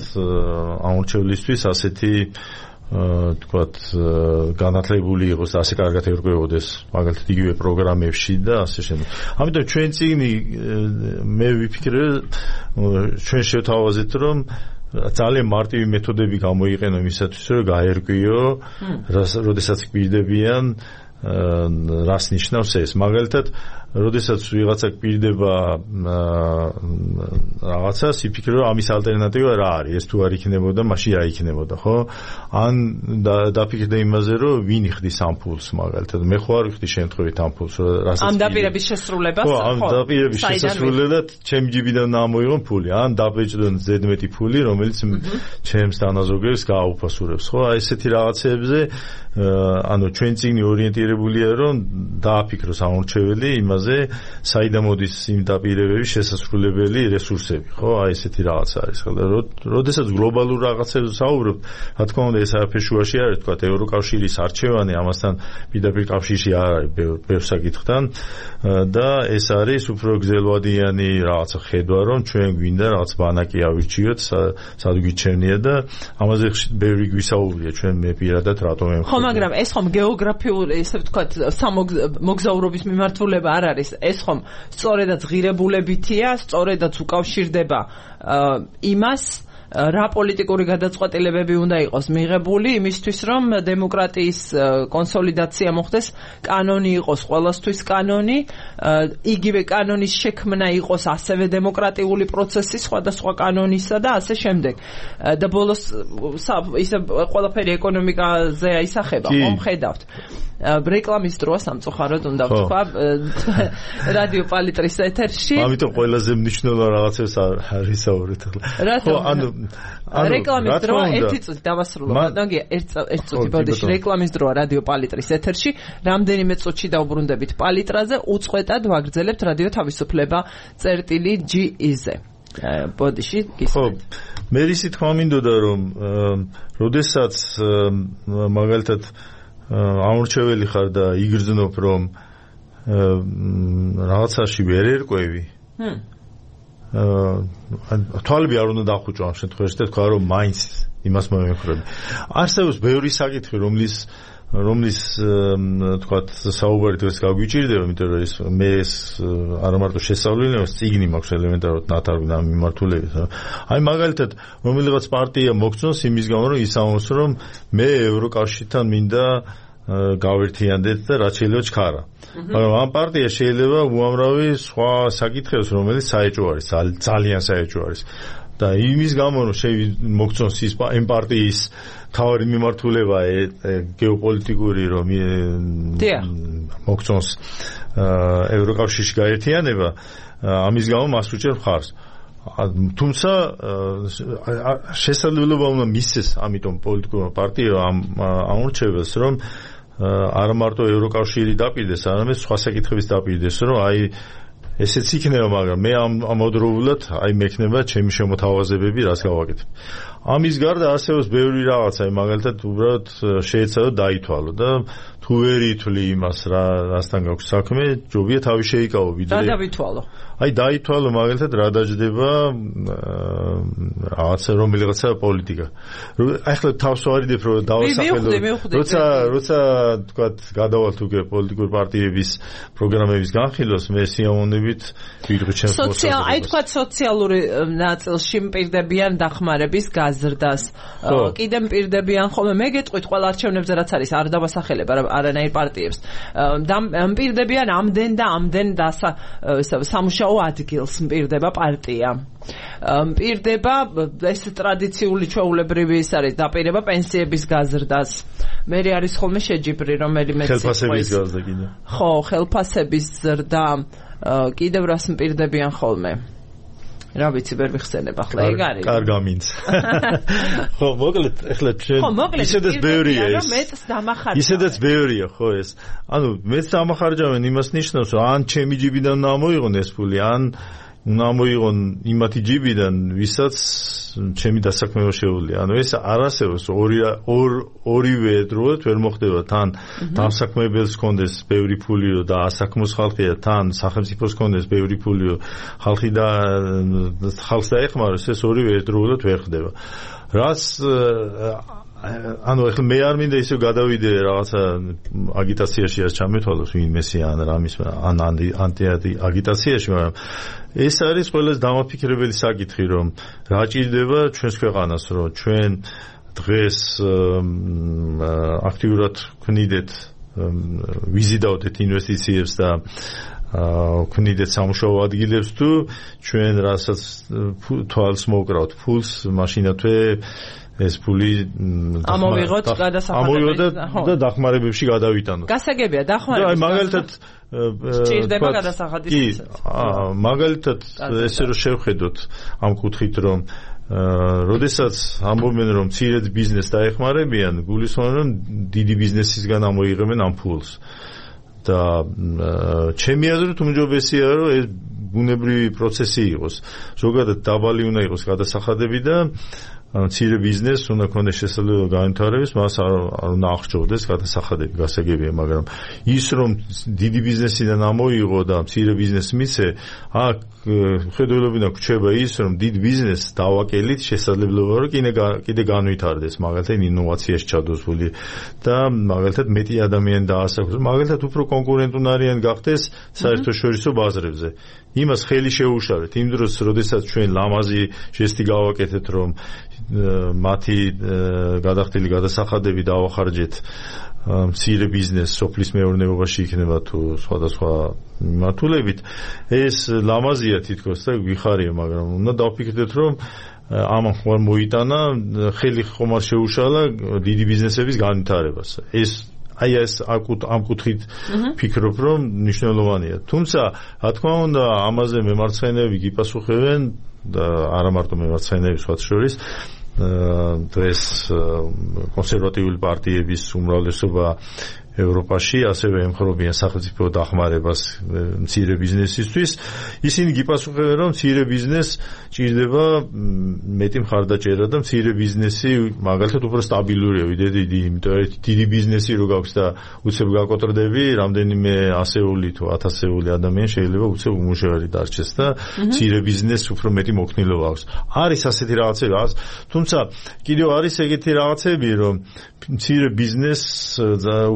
ამორჩევლისთვის ასეთი თქვათ განათლებული იყოს და ასე კარგად ერკვევოდეს მაგალითად იგივე პროგრამებში და ასე შემდეგ. ამიტომ ჩვენ წიგნი მე ვიფიქრე ჩვენ შევთავაზეთ რომ ძალიან მარტივი მეთოდები გამოიყენო იმისათვის რომ გაერკვიო როდესაც გვირდებიან რას ნიშნავს ეს. მაგალითად როდესაც ვიღაცა გვირდება რაღაცას, იფიქრე რომ ამის ალტერნატივა რა არის, ეს თუ არ იქნებოდა, მაშინ რა იქნებოდა, ხო? ან დაფიქრდე იმაზე, რომ ვინ იხდის ამ ფულს, მაგალითად, მე ხო არ ვიხდი შემთხვევით ამ ფულს, რასაც ამ დაპირების შესრულებას, ხო? ამ დაპირების შესრულებად ჩემი ჯიბიდან ამოიღო ფული, ან დაბეჭდონ ზედმეტი ფული, რომელიც ჩემს თანაზოგებს გააუფასურებს, ხო? აი ესეთი რაღაცებზე, ანუ ჩვენ წიგნი ორიენტირებულია, რომ დააფიქროს ამორჩეველი იმაზე, საიდან მოდის იმ დაპირებების შესასრულებელი რესურსები, ხო? აი ესეთი რაღაც არის. ხოლო როდესაც გლობალურ რაღაცებზე საუბრობთ, რა თქმა უნდა ეს არაფერ შუაში არის, თქვა ევროკავშირის არჩევანი, ამასთან პირდაპირ კავშირში არ არის ბევრ საკითხთან და ეს არის უფრო გრძელვადიანი რაღაცა ხედვა, რომ ჩვენ გვინდა რაღაც ბანაკი ავირჩიოთ, სად გვიჩერნია და ამაზე ბევრი გვისაუბრია ჩვენ მე პირადად რატომ ემ ხო, მაგრამ ეს ხომ გეოგრაფიული, ესე ვთქვათ, სამოგზაურობის მიმართულება არ არის. ეს ხომ სწორედაც ღირებულებითია, სწორედაც უკავშირდება იმას, რა პოლიტიკური გადაწყვეტილებები უნდა იყოს მიღებული იმისთვის, რომ დემოკრატიის კონსოლიდაცია მოხდეს, კანონი იყოს ყველასთვის კანონი, იგივე კანონის შექმნა იყოს ასევე დემოკრატიული პროცესი სხვადასხვა კანონისა და ასე შემდეგ. და ბოლოს ისე ყველაფერი ეკონომიკაზე აისახება, ხომ ხედავთ. რეკლამის დროა სამწუხაროდ უნდა ვთქვა რადიო პალიტრის ეთერში. ამიტომ ყველაზე მნიშვნელოვანი რაღაცებს არ ისაუბრეთ ახლა. ხო, ანუ რეკლამის დროა ერთი წუთი დავასრულო. მაგია ერთი წუთი ბოდიში რეკლამის დროა რადიო პალიტრის ეთერში. რამდენიმე წუთში დავბრუნდებით პალიტრაზე, უწყვეტად ვაგრძელებთ რადიო თავისუფლება წერტილი ჯი ი-ზე. ბოდიში გისმენთ. ხო, მე ისე თქვა მინდოდა რომ როდესაც მაგალითად ამორჩეველი ხარ და იგრძნობ რომ რაღაცაში ვერ ერკვევი. აა თვალები არ უნდა დახუჭო ამ შემთხვევაში და თქვა რომ მაინც იმას მომეხრები. არსებობს ბევრი საკითხი, რომლის რომლის თქვათ საუბარი დღეს გაგვიჭირდება, იმიტომ რომ ეს მე ეს არა მარტო შესწავლილი, წიგნი მაქვს ელემენტარულად ნათარგმნი ამ მიმართულებით. აი მაგალითად, რომელიღაც პარტია მოგწონს იმის გამო, რომ ისაუბროს, რომ მე ევროკავშირთან მინდა გავერთიანდეთ და რაც შეიძლება ჩქარა. მაგრამ ამ პარტია შეიძლება უამრავი სხვა საკითხებს, რომელიც საეჭვო არის, ძალიან საეჭვო არის. და იმის გამო რომ მოგწონს ის ამ პარტიის თავი მიმართულება გეოპოლიტიკური რომ მოგწონს ევროკავშირში გაერთიანება, ამის გამო მას უჭერ მხარს. თუმცა შესაძლებლობა უნდა მისცეს ამიტომ პოლიტიკურმა პარტიამ ამ ამორჩევებს, რომ არა მარტო ევროკავშირი დაპირდეს, არამედ სხვა საკითხების დაპირდეს, რომ აი ესეც იქნება, მაგრამ მე ამავდროულად აი მექნება ჩემი შემოთავაზებები, რაც გავაკეთებ. ამის გარდა არსებობს ბევრი რაღაცა, მაგალითად უბრალოდ შეეცადო დაითვალო და თუ ვერ ითვლი იმას, რასთან გაქვს საქმე, ჯობია თავი შეიკავო ვიდრე. რა დავითვალო? აი დაითვალო მაგალითად რა დაждდება რაღაცა რომელიღაცა პოლიტიკა. აი ახლა თავს ვარიდებ რომ დავასახელო. როცა როცა თქვათ გადავალთ უკვე პოლიტიკური პარტიების პროგრამების განხილვას, მე სიამოვნებით ვიღე ჩემს სოციალ აი თქვათ სოციალური ნაწილში მპირდებიან დახმარების გაზრდას. კიდემ მპირდებიან ხოლმე მე გეტყვით ყველა არჩევნებზე რაც არის, არ დავასახელებ არანაირ პარტიებს. მპირდებიან ამდენ და ამდენ და სამუშაო ადგილს მპირდება პარტია. მპირდება ეს ტრადიციული ჩვეულებრივი ის არის დაპირება პენსიების გაზრდას. მე არის ხოლმე შეჯიბრი რომელიმე ხელფასების გაზრდა კიდე. ხო, ხელფასების ზრდა კიდევ რას მპირდებიან ხოლმე. რა ვიცი ვერ მიხსენებ ახლა ეგ არის. კარგამინც. ხო, მოკლედ ახლა ჩვენ ისედაც ბევრია ეს. მეც დამახარჯავენ. ისედაც ბევრია ხო ეს. ანუ მეც დამახარჯავენ იმას ნიშნავს, რომ ან ჩემი ჯიბიდან უნდა მოიღონ ეს ფული, ან უნდა მოიღონ იმათი ჯიბიდან, ვისაც ჩემი დასაქმება შეუძლია. ანუ ეს არ არსებობს ორი ორივე დროულად ვერ მოხდება, თან დასაქმებელს კონდეს ბევრი ფულიო და ასაქმოს ხალხია, თან სახელმწიფოს კონდეს ბევრი ფულიო, ხალხი და ხალხს დაეხმაროს, ეს ორივე დროულად ვერ ხდება. რაც ანუ ახლა მე არ მინდა ისე გადავიდე რაღაცა აგიტაციაში არ ჩამეთვალოს ვინმესი ან რამის ან ანტი აგიტაციაში, მაგრამ ეს არის ყველაზე დამაფიქრებელი საკითხი, რომ რა ჭირდება ჩვენს ქვეყანას, რომ ჩვენ დღეს აქტიურად ვქნიდეთ, ვიზიდავდეთ ინვესტიციებს და ვქნიდეთ სამუშაო ადგილებს, თუ ჩვენ რასაც თვალს მოვკრავთ ფულს, მაშინათვე ეს ფული ამოვიღოთ გადასახადებად და დახმარებებში გადავიტანოთ. გასაგებია დახმარების. აი მაგალითად ჭირდება გადასახადის. მაგალითად ესე რომ შევხედოთ ამ კუთხით, რომ როდესაც ამბობენ რომ მცირე ბიზნესს დაეხმარებიან, გულისხმობენ რომ დიდი ბიზნესისგან ამოიღებენ ამ ფულს. და ჩემი აზრით უმჯობესია რომ ეს ბუნებრივი პროცესი იყოს. ზოგადად დაბალი უნდა იყოს გადასახადები და მცირე ბიზნესს უნდა ქონდეს შესაძლებლობა განვითარების, მას არ უნდა აღჭურდეს გადასახადები, გასაგებია, მაგრამ ის რომ დიდი ბიზნესიდან ამოიღო და მცირე ბიზნესს მიცე, აქ ხედველობინა გვჩება ის, რომ დიდ ბიზნესს დავაკელით შესაძლებლობა რომ კიდე განვითარდეს, მაგალითად ინოვაციაში ჩადოს ფული და მაგალითად მეტი ადამიანი დაასახოს, მაგალითად უფრო კონკურენტუნარიანი გახდეს საერთაშორისო ბაზრებზე. იმას ხელი შეუშალეთ იმ დროს, როდესაც ჩვენ ლამაზი ჟესტი გავაკეთეთ, რომ მათი გადახდილი გადასახადები დავახარჯეთ მცირე ბიზნესს სოფლის მეურნეობაში იქნება თუ სხვადასხვა მიმართულებით, ეს ლამაზია თითქოს და გვიხარია, მაგრამ უნდა დავფიქრდეთ, რომ ამან ხომ მოიტანა ხელი ხომ არ შეუშალა დიდი ბიზნესების განვითარებას. ეს აი ეს ამ კუთხით ფიქრობ, რომ მნიშვნელოვანია. თუმცა, რა თქმა უნდა, ამაზე მემარცხენეები გიპასუხებენ და არა მარტო მემარცხენეები, სხვათა შორის დღეს კონსერვატიული პარტიების უმრავლესობა ევროპაში, ასევე ემხრობიან სახელმწიფო დახმარებას მცირე ბიზნესისთვის. ისინი გიპასუხებენ, რომ მცირე ბიზნესს ჭირდება მეტი მხარდაჭერა და მცირე ბიზნესი მაგალითად უფრო სტაბილურია ვიდრე დიდი, იმიტომ რომ დიდი ბიზნესი რო გაქვს და უცებ გაკოტრდები, რამდენიმე ასეული თუ ათასეული ადამიანი შეიძლება უცებ უმუშევარი დარჩეს და მცირე ბიზნესს უფრო მეტი მოქნილობა აქვს. არის ასეთი რაღაცები, თუმცა კიდევ არის ეგეთი რაღაცები, რომ მცირე ბიზნესს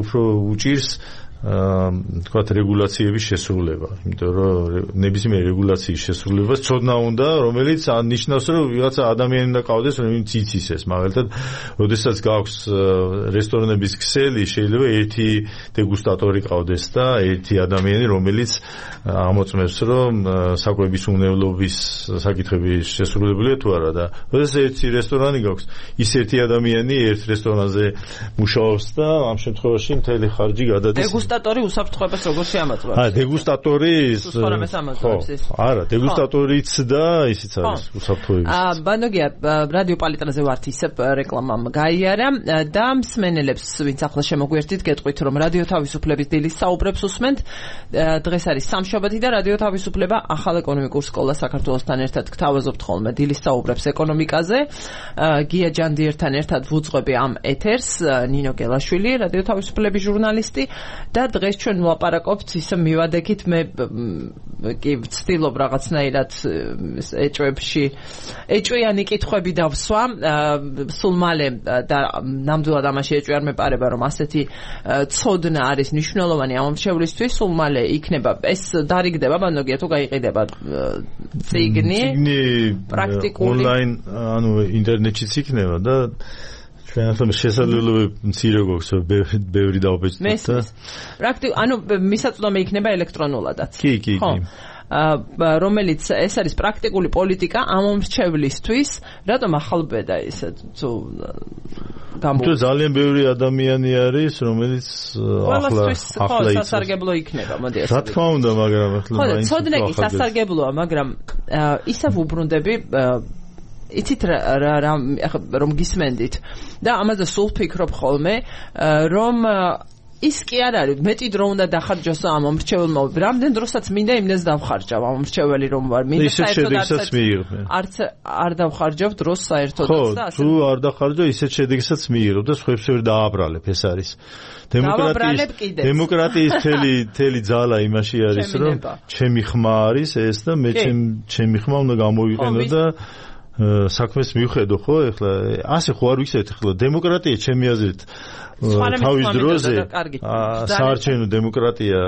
უფრო უჭირს თქვათ რეგულაციების შესრულება, იმიტომ რომ ნებისმიერი რეგულაციის შესრულებას ცოდნა უნდა, რომელიც ნიშნავს, რომ ვიღაცა ადამიანი უნდა ყავდეს, რომელიც იცისეს, მაგალითად, როდესაც გაქვს რესტორნების ქსელი, შეიძლება ერთი დეგუსტატორი ყავდეს და ერთი ადამიანი, რომელიც ამოწმებს, რომ საკვების უნევლობის საკითხები შესრულებულია თუ არა და როდესაც ერთი რესტორანი გაქვს, ის ერთი ადამიანი ერთ რესტორანზე მუშაობს და ამ შემთხვევაში მთელი ხარჯი გადადის დეგუსტატორი უსაფრთხოებას როგორ შეამოწმებს? აა, დეგუსტატორი სუსხორამეს ამოწმებს ის. არა, დეგუსტატორიც და ისიც არის უსაფრთხოების. აა, ბანოგია, რადიო პალიტრაზე ვართ ისევ რეკლამამ გაიარა და მსმენელებს, ვინც ახლა შემოგვიერთით, გეტყვით, რომ რადიო თავისუფლების დილის საუბრებს უსმენთ. დღეს არის სამშაბათი და რადიო თავისუფლება ახალ ეკონომიკურ სკოლას საქართველოსთან ერთად გთავაზობთ ხოლმე დილის საუბრებს ეკონომიკაზე. გია ჯანდიერთან ერთად ვუძღვები ამ ეთერს, ნინო გელაშვილი, რადიო თავისუფლების ჟურნალისტი. და დღეს ჩვენ ვლაპარაკობთ ისე მივადექით მე კი ვცდილობ რაღაცნაირად ეჭვებში ეჭვიანი კითხვები დავსვა სულ მალე და ნამდვილად ამაში ეჭვი არ მეპარება რომ ასეთი ცოდნა არის მნიშვნელოვანი ამომრჩევლისთვის სულ მალე იქნება ეს დარიგდება ბანოგია თუ გაიყიდება ციგნი პრაქტიკული ონლაინ ანუ ინტერნეტშიც იქნება და ჩვენ ახლა შესაძლებლობები მცირე გვაქვს ბევრი დავბეჭდეთ და პრაქტიკ ანუ მისაწვდომი იქნება ელექტრონულადაც კი კი კი რომელიც ეს არის პრაქტიკული პოლიტიკა ამომრჩევლისთვის რატომ ახალბედა ისე თუ გამო თუ ძალიან ბევრი ადამიანი არის რომელიც ახლა ახლა სასარგებლო იქნება მოდი ასე რა თქმა უნდა მაგრამ ახლა მაინც ხო ცოდნა კი სასარგებლოა მაგრამ ისევ უბრუნდები იცით რა რომ გისმენდით და ამაზე სულ ფიქრობ ხოლმე რომ ის კი არ არის მეტი დრო უნდა დახარჯოს ამ მომრჩეველმა რამდენ დროსაც მინდა იმდეს დავხარჯავ ამ მომრჩეველი რომ ვარ მინდა საერთოდ არც არ დავხარჯავ დროს საერთოდაც და ასე თუ არ დახარჯო ისეთ შედეგსაც მიიღებ და სხვებს ვერ დააბრალებ ეს არის დემოკრატიის დემოკრატიის თელი თელი ძალა იმაში არის რომ ჩემი ხმა არის ეს და მე ჩემი ხმა უნდა გამოვიყენო და საქმეს მივხედო ხო ეხლა ასე ხო არ ვიცით ეხლა დემოკრატია ჩემი აზრით თავის დროზე საარჩევნო დემოკრატია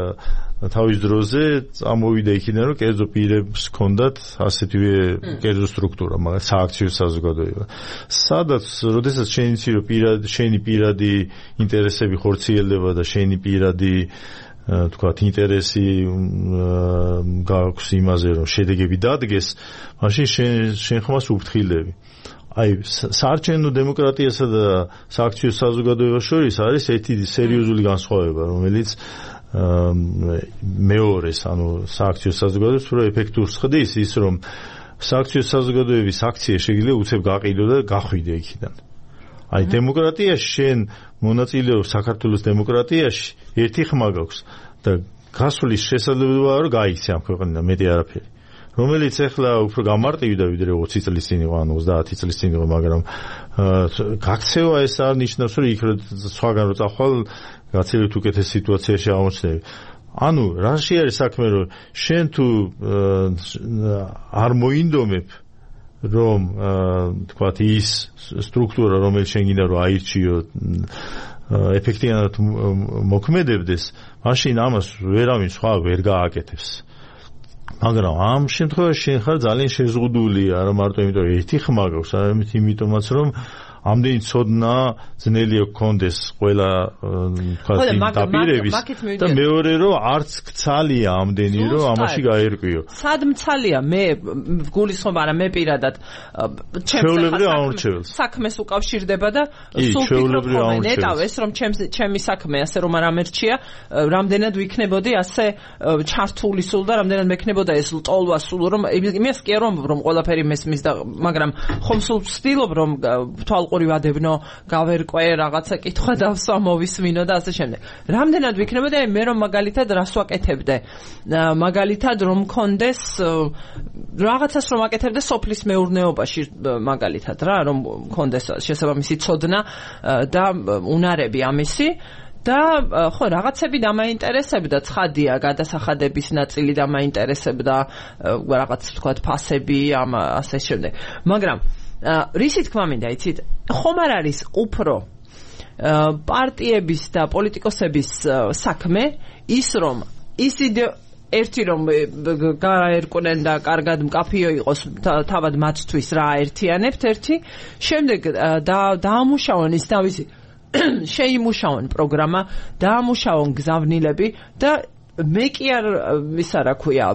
თავის დროზე წამოვიდა იქიდან რომ კერძო პირებს ჰქონდათ ასეთივე კერძო სტრუქტურა მაგალითად სააქციო საზოგადოება სადაც როდესაც შენი ცირო პირადი შენი პირადი ინტერესები ხორციელდება და შენი პირადი თქვათ ინტერესი გაქვს იმაზე რომ შედეგები დადგეს მაშინ შენ შენ ხმას უფრთხილდები აი საარჩევნო დემოკრატიასა და სააქციო საზოგადოებას შორის არის ერთი სერიოზული განსხვავება რომელიც მეორეს ანუ სააქციო საზოგადოებას უფრო ეფექტურს ხდის ის რომ სააქციო საზოგადოების აქცია შეიძლება უცებ გაყიდო და გახვიდე იქიდან აი დემოკრატიაში შენ მონაწილეობ საქართველოს დემოკრატიაში ერთი ხმა გაქვს და გასვლის შესაძლებელია რომ გაიქცე ამ ქვეყნიდან მეტი არაფერი რომელიც ახლა უფრო გამარტივდა ვიდრე ოცი წლის წინ იყო ანუ ოცდაათი წლის წინ იყო მაგრამ გაქცევა ეს არ ნიშნავს რომ იქ სხვაგან რო წახვალ გაცილებით უკეთეს სიტუაციაში აღმოჩნდები ანუ რაში არის საქმე რომ შენ თუ არ მოინდომებ რომ თქვათ ის სტრუქტურა რომელიც შენ გინდა რომ აირჩიო ეფექტიანად მოქმედებდეს მაშინ ამას ვერავინ სხვა ვერ გააკეთებს მაგრამ ამ შემთხვევაში შენ ხარ ძალიან შეზღუდული არა მარტო იმიტომ რომ ერთი ხმა გაქვს არამედ იმიტომაც რომ ამდენი ცოდნა ძნელია გქონდეს ყველა თქვათ დაპირების და მეორე რომ არც ქცალია ამდენი რომ ამაში გაერკვიო სად მცალია მე გულისხმობ არა მე პირადად ჩემს საქმეს უკავშირდება და სულ ფიქრობ ნეტავ ეს რომ ჩემი საქმე ასე რომ არ ამერჩია რამდენად ვიქნებოდი ასე ჩართული სულ და რამდენად მექნებოდა ეს ლტოლვა სულ რომ იმას კი რომ რომ ყველაფერი მესმის და მაგრამ ხომ სულ ვცდილობ რომ თვალყურს მიყურივადებნო, გავერკვე, რაღაცა კითხვა დავსვა, მოვისმინო და ასე შემდეგ. რამდენად ვიქნებოდი, აი მე რომ მაგალითად რას ვაკეთებდე? მაგალითად რომ მქონდეს რაღაცას რომ აკეთებდე სოფლის მეურნეობაში მაგალითად რა, რომ მქონდეს შესაბამისი ცოდნა და უნარები ამისი და ხო რაღაცები დამაინტერესებდა, ცხადია, გადასახადების ნაწილი დამაინტერესებდა, რაღაც თქვათ ფასები, ამ ასე შემდეგ. მაგრამ რისი თქმა მინდა, იცით, ხომ არ არის უფრო პარტიების და პოლიტიკოსების საქმე ის რომ ის ერთი რომ გაერკვნენ და კარგად მკაფიო იყოს თავად მათთვის რა აერთიანებთ ერთი, შემდეგ დაამუშავონ ის თავისი შეიმუშავონ პროგრამა, დაამუშავონ გზავნილები და მე კი არ ისა რა ქვია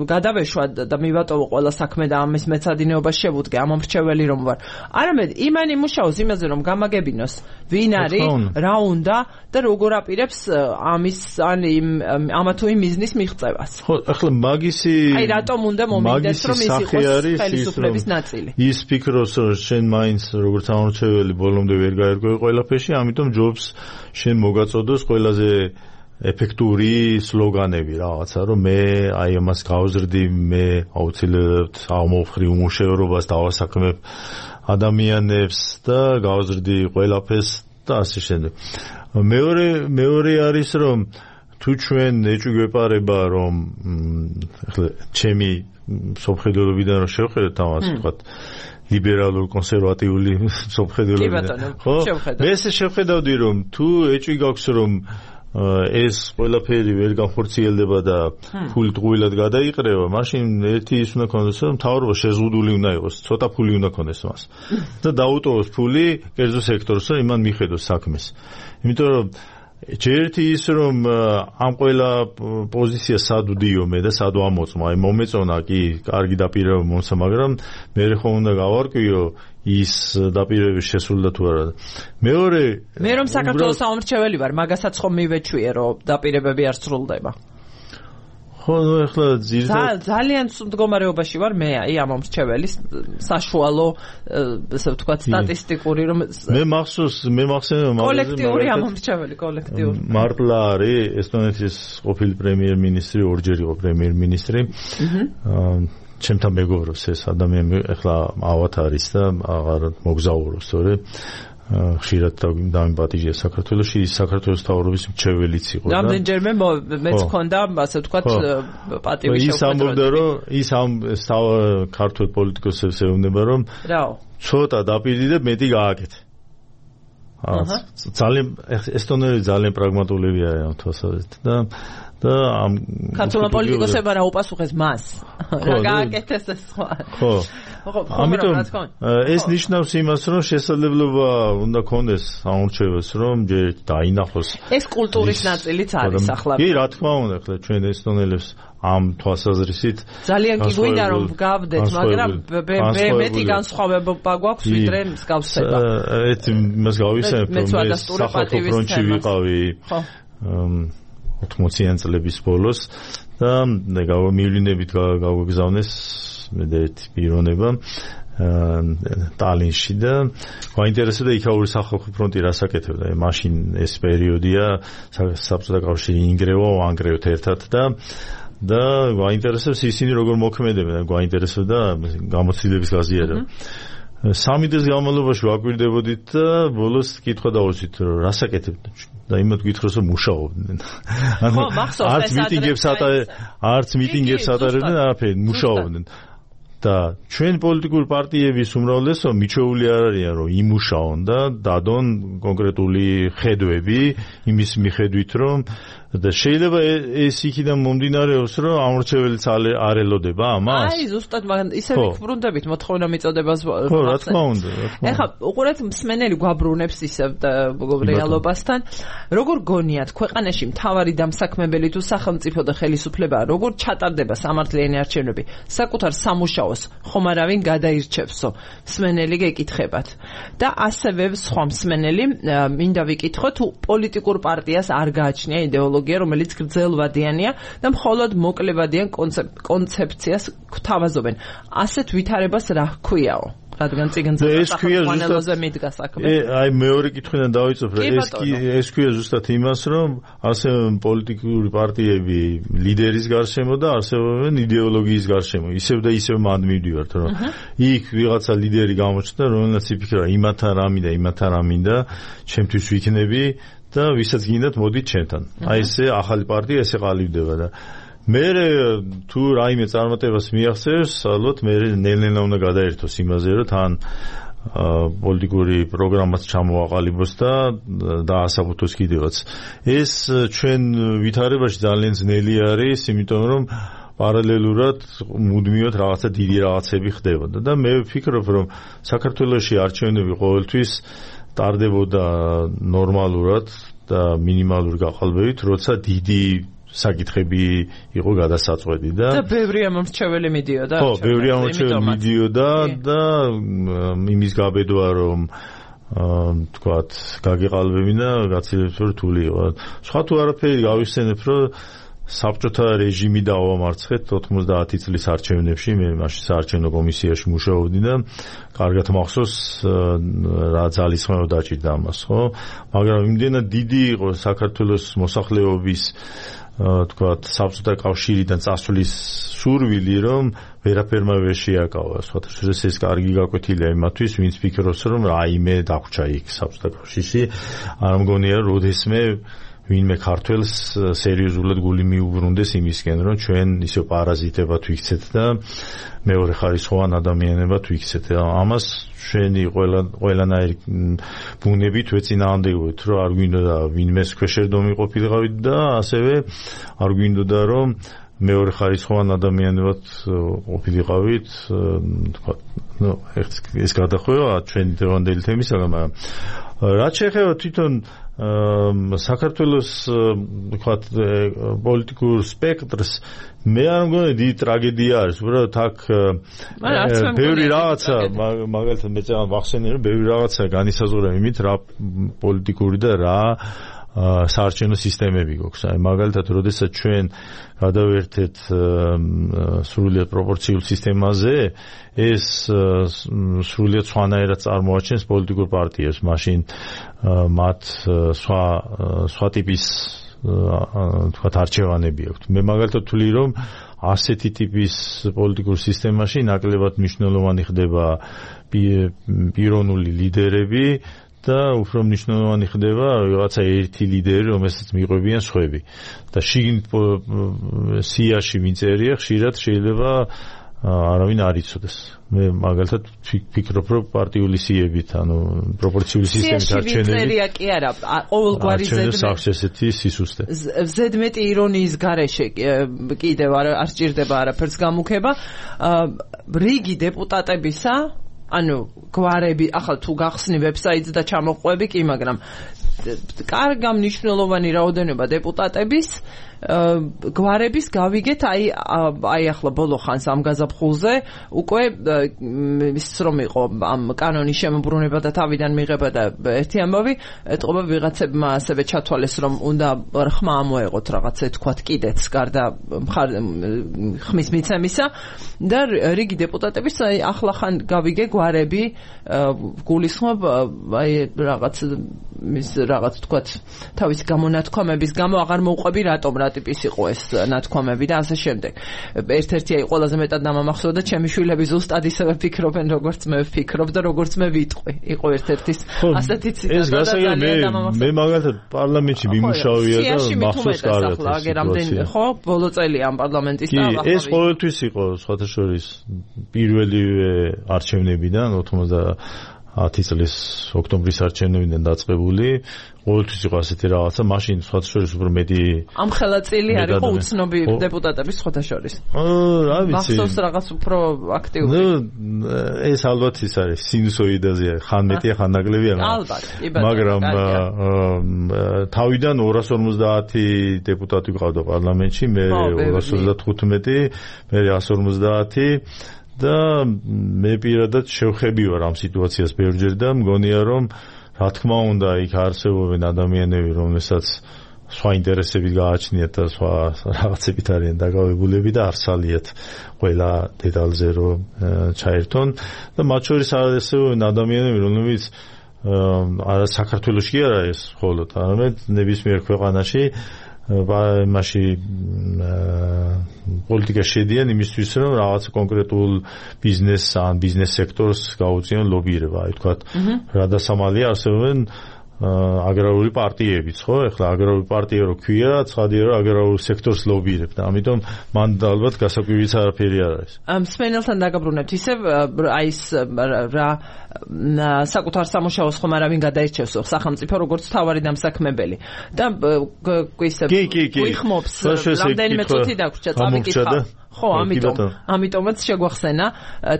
გადავეშვა და მივატოვო ყველა საქმე და ამის მეცადინეობა შევუდგე ამ მრჩეველი რომ ვარ. არამედ იმან იმუშაოს იმაზე რომ გამაგებინოს ვინ არის, რა უნდა და როგორ აპირებს ამის ან იმ ამა თუ იმ ბიზნეს მიღწევას. ხო, ახლა მაგისი აი რატომ უნდა მომინდეს რომ ის იყოს ხელისუფლების ნაწილი. ის ფიქრობს რომ შენ მაინც როგორც ამორჩეველი ბოლომდე ვერ გაერკვევი ყველაფერში, ამიტომ ჯობს შენ მოგაწოდოს ყველაზე ეფექტური სლოგანები რაღაცა რომ მე აი ამას გავზრდი, მე აუცილებლად ამოვხრი უმუშევრობას, დავასაქმებ ადამიანებს და გავზრდი ყველაფერს და ასე შემდეგ. მეორე მეორე არის რომ თუ ჩვენ ეჭვი გვეპარება რომ ახლა ჩემი სოფხედელობიდან რომ შევხედოთ ამას ვთქვათ ლიბერალურ კონსერვატიული სოფხედელობიდან ხო მე ესე შევხედავდი რომ თუ ეჭვი გაქვს რომ ეს ყველაფერი ვერ განხორციელდება და ფული ტყუილად გადაიყრება, მაშინ ერთი ის უნდა ქონდეს, რომ მთავრობა შეზღუდული უნდა იყოს, ცოტა ფული უნდა ქონდეს მას. და დაუტოვოს ფული კერძო სექტორს, რომ იმან მიხედოს საქმეს. იმიტომ რომ ჯერეთი ის რომ ამ ყველა პოზიცია სად ვდიო მე და სად ვამოწმო, აი მომეწონა კი, კარგი დაპირება მომცა, მაგრამ მე ხომ უნდა გავარკვიო ის დაპირებების შესრულდა თუ არა. მეორე მე რომ საქართველოს საომრჩეველი ვარ, მაგასაც ხომ მივეჩვიე რომ დაპირებები არ სრულდება. ხო, ნუ ახლა ძირითადად ძალიან სულ მდგომარეობაში ვარ მე, აი ამ მომრჩეველის საშუალო, ესე ვთქვათ, სტატისტიკური რომ მე მახსოვს, მე მახსენდება კოლექტიური ამ მომრჩეველი, კოლექტიური. მარტლა არის ესტონეთის ყოფილი პრემიერ-მინისტრი, ორჯერ იყო პრემიერ-მინისტრი. ჩემთან მეგობრობს ეს ადამიანი, ახლა ავად არის და აღარ მოგზაურობს, თორე ხშირად დამიპატიჟია საქართველოში, ის საქართველოს მთავრობის მრჩეველიც იყო და რამდენჯერმე მეც ჰქონდა, ასე ვთქვათ, პატივი შეხვედრა. ის ამბობდა, რომ ის ამ ქართულ პოლიტიკოსებს ეუბნება, რომ ცოტა დაპირდიდე, მეტი გააკეთე. ძალიან ესტონელი ძალიან პრაგმატულები არიან თვალსაზრისით და და ამ ქართულმა პოლიტიკოსებმა რა უპასუხეს მას? რა გააკეთეს ეს სხვა? ხო. ამიტომ ეს ნიშნავს იმას, რომ შესაძლებლობა უნდა ქონდეს ამორჩეველს, რომ ჯერ დაინახოს. ეს კულტურის ნაწილიც არის ახლა. კი, რა თქმა უნდა, ახლა ჩვენ ესტონელებს ამ თვალსაზრისით ძალიან კი გვინდა რომ გავდეთ, მაგრამ მეტი განსხვავება გვაქვს ვიდრე მსგავსება. ეს იმას გავისაებ, რომ მე სახალხო ფრონტში ვიყავი. ხო. ოთხმოციან წლების ბოლოს და მივლინებით გავგზავნეს მე და ერთი პიროვნება ტალინში და გაინტერესებდა იქაური სახალხო ფრონტი რას აკეთებდა. მაშინ ეს პერიოდია საბჭოთა კავშირი ინგრევა, ვანგრევთ ერთად და და გაინტერესებს ისინი როგორ მოქმედებენ, გაინტერესებდა გამოცდილების გაზიარება. სამი დღის განმავლობაში ვაკვირდებოდით და ბოლოს კითხვა დავუწით, რომ რას აკეთებდნენ და იმათ გითხროს, რომ მუშაობდნენ. ანუ არც მიტინგებს ატარებდნენ, არც მიტინგებს ატარებდნენ, არაფერი, მუშაობდნენ. და ჩვენ პოლიტიკური პარტიების უმრავლესობა მიჩვეული არ არიან, რომ იმუშაონ და დადონ კონკრეტული ხედვები იმის მიხედვით, რომ და შეიძლება ეს იქიდან მომდინარეობს, რომ ამორჩეველიც არ ელოდება ამას. აი, ზუსტად მაგ ისე ვიბრუნდებით მოთხოვნა მიწოდებას. ხო, რა თქმა უნდა. ეხლა უყურეთ, მსმენელი გვაბრუნებს ისევ რეალობასთან. როგორ გონიათ, ქვეყანაში მთავარი დამსაქმებელი თუ სახელმწიფო და ხელისუფლება როგორ ჩატარდება სამართლიანი არჩევნები? საკუთარ სამუშაოს ხომ არავინ გადაირჩევსო? მსმენელი გეკითხებათ. და ასევე სხვა მსმენელი მინდა ვიკითხო, თუ პოლიტიკურ პარტიას არ გააჩნია იდეოლოგია, რომელიც გრძელვადიანია და მხოლოდ მოკლევადიან კონცეფციას გვთავაზობენ. ასეთ ვითარებას რა ჰქვიაო? რადგან წიგნზე სახელმწიფოზე მიდგა საქმე. აი მეორე კითხვიდან დავიწყებ, ეს კი ეს ქვია ზუსტად იმას, რომ არსებობენ პოლიტიკური პარტიები ლიდერის გარშემო და არსებობენ იდეოლოგიის გარშემო. ისევ და ისევ მანდ მივდივართ, რომ იქ ვიღაცა ლიდერი გამოჩნდა, რომელსაც იფიქრა იმათა რა მინდა, იმათა რა მინდა, ჩემთვის ვიქნები და ვისაც გინდათ მოდით ჩემთან. აი ესე ახალი პარტია ესე ყალიბდება და მე თუ რაიმე წარმატებას მიაღწევს, ალბათ მე ნელ-ნელა უნდა გადაერთოს იმაზე, რომ თან პოლიტიკური პროგრამაც ჩამოაყალიბოს და დაასაბუთოს კიდევაც. ეს ჩვენ ვითარებაში ძალიან ძნელი არის, იმიტომ რომ პარალელურად მუდმივად რაღაცა დიდი რაღაცები ხდებოდა და მე ვფიქრობ, რომ საქართველოში არჩევნები ყოველთვის ტარდებოდა ნორმალურად და მინიმალური გაყალბებით, როცა დიდი საკითხები იყო გადასაწყვეტი და და ბევრი ამორჩეველი მიდიოდა. ხო, ბევრი ამორჩეველი მიდიოდა და იმის გაბედვა, რომ თქვათ, გაგეყალბებინა, გაცილებით რთული იყო. სხვა თუ არაფერი გავიხსენებ, რომ საბჭოთა რეჟიმი დავამარცხეთ ოთხმოცდაათი წლის არჩევნებში, მე მაშინ საარჩევნო კომისიაში მუშაობდი და კარგად მახსოვს რა ძალისხმევა დაჭირდა ამას, ხო? მაგრამ იმდენად დიდი იყო საქართველოს მოსახლეობის თქვათ საბჭოთა კავშირიდან წასვლის სურვილი, რომ ვერაფერმა ვერ შეაკავა. სხვათაშორის ეს კარგი გაკვეთილია იმათვის, ვინც ფიქრობს, რომ რაიმე დაგვჭა იქ საბჭოთა კავშირში. არ მგონია, როდესმე ვინმე ქართველს სერიოზულად გული მიუბრუნდეს იმისკენ, რომ ჩვენ ისე პარაზიტებად ვიქცეთ და მეორე ხარისხოვან ადამიანებად ვიქცეთ. ამას ჩვენი ყველა ყველანაირი ბუნებით ვეწინააღმდეგებთ, რომ არ გვინდოდა ვინმეს ქვეშერდომი ყოფილიყავით და ასევე არ გვინდოდა რომ მეორე ხარისხოვან ადამიანებად ყოფილიყავით, თქვა, ნუ ეს გადახვევა ჩვენი დღევანდელი თემისაგან, მაგრამ რაც შეეხება თვითონ საქართველოს თქვათ პოლიტიკურ სპექტრს, მე არ მგონია დიდი ტრაგედია არის, უბრალოდ აქ ბევრი რაღაცა, მაგალითად მე წამო ვახსენე, რომ ბევრი რაღაცა განისაზღვრება იმით, რა პოლიტიკური და რა საარჩევნო სისტემები გვაქვს. აი მაგალითად, როდესაც ჩვენ გადავერთეთ სრულიად პროპორციულ სისტემაზე, ეს სრულიად სხვანაირად წარმოაჩენს პოლიტიკურ პარტიებს. მაშინ მათ სხვა სხვა ტიპის თქვათ არჩევანები აქვთ. მე მაგალითად ვთვლი, რომ ასეთი ტიპის პოლიტიკურ სისტემაში ნაკლებად მნიშვნელოვანი ხდება პიროვნული ლიდერები და უფრო მნიშვნელოვანი ხდება რაღაცა ერთი ლიდერი, რომელსაც მიყვებიან სხვები. და შიგნით სიაში მიწერია, ხშირად შეიძლება არავინ არ იცოდეს. მე მაგალითად ვფიქრობ, რომ პარტიული სიებით, ანუ პროპორციული სისტემით არჩევნები. სიაში კი არა, ყოველგვარი ზედმეტი ესეთი სისუსტე. ზედმეტი ირონიის გარეშე კიდევ არ სჭირდება არაფერს გამუქება. რიგი დეპუტატებისა, ანუ გვარები, ახლა თუ გახსნი ვებსაიტს და ჩამოყვები კი, მაგრამ კარგა მნიშვნელოვანი რაოდენობა დეპუტატების გვარების გავიგეთ, აი აი ახლა ბოლო ხანს ამ გაზაფხულზე უკვე ის რომ იყო ამ კანონის შემოbrunება და თავიდან მიღება და ერთი ამბავი ეთყობა ვიღაცებმა ასევე ჩათვალეს, რომ უნდა ხმა ამოეღოთ რაღაცა თქვათ კიდეც გარდა ხმის მიცემისა და რიგი დეპუტატების აი ახლა ხან გავიგე გვარები გულისხმობ აი რაღაც მის რაღაც თქვათ თავის გამონათქვამების გამო აღარ მოუყვები რატომ რა ტიპის იყო ეს ნათქვამები და ასე შემდეგ. ერთ-ერთი აი ყველაზე მეტად დამამახსოვრდა ჩემი შვილები ზუსტად ისევე ფიქრობენ, როგორც მე ვფიქრობ და როგორც მე ვიტყვი. იყო ერთ-ერთი ასეთი ციტატა და ძალიან დამამახსოვრდა. მე მაგალითად პარლამენტში მიმუშავია და მახსოვს კარგად. ხო, ბოლო წელი ამ პარლამენტის და ეს ყოველთვის იყო სხვათა შორის პირველივე არჩევნებიდან ოთხმოცდაათი წლის ოქტომბრის არჩევნებიდან დაწყებული. ყოველთვის იყო ასეთი რაღაცა, მაშინ სხვათა შორის უფრო მეტი ამ ხელაწილი არის ხო უცნობი დეპუტატების სხვათა შორის. რა ვიცი. მახსოვს რაღაც უფრო აქტიური. ნუ ეს ალბათ ის არის სინუსოიდაზეა, ხან მეტია, ხან ნაკლებია. ალბათ, კი ბატონო. მაგრამ თავიდან ორას ორმოცდაათი დეპუტატი ყავდა პარლამენტში, მე ორას ოცდათხუთმეტი, მე რას ორმოცდაათი და მე პირადად შევხები ვარ ამ სიტუაციას ბევრჯერ და მგონია, რომ რა თქმა უნდა, იქ არსებობენ ადამიანები, რომელსაც სხვა ინტერესები გააჩნიათ და სხვა რაღაცებით არიან დაკავებულები და არ სალიათ ყველა დეტალზე რომ ჩაერთონ და მათ შორის არასწორია ადამიანები რომლებიც არა საქართველოში კი არა ეს მხოლოდ არამედ ნებისმიერ ქვეყანაში მასში პოლიტიკა შედიან იმისთვის რომ რაღაც კონკრეტულ ბიზნესს ან ბიზნეს სექტორს გაუწიონ ლობირება აი თქვა რა დასამალია არსებობენ აგრარული პარტიებიც ხო ახლა აგრარული პარტია რო ქვია ცხადია რომ აგრარულ სექტორს ლობირებ და ამიტომ მან ალბათ გასაკვირიც არაფერი არ არის მსმენელთან დაგაბრუნებთ ისევ აი ეს რა საკუთარ სამუშაოს ხომ არავინ გადაირჩევს სახელმწიფო როგორც თავარი დამსაქმებელი და ისევ გვიხმობს რამდენიმე წუთი დაგვრჩა წავიკითხავ ხო, ამიტომ, ამიტომაც შეგვახსენა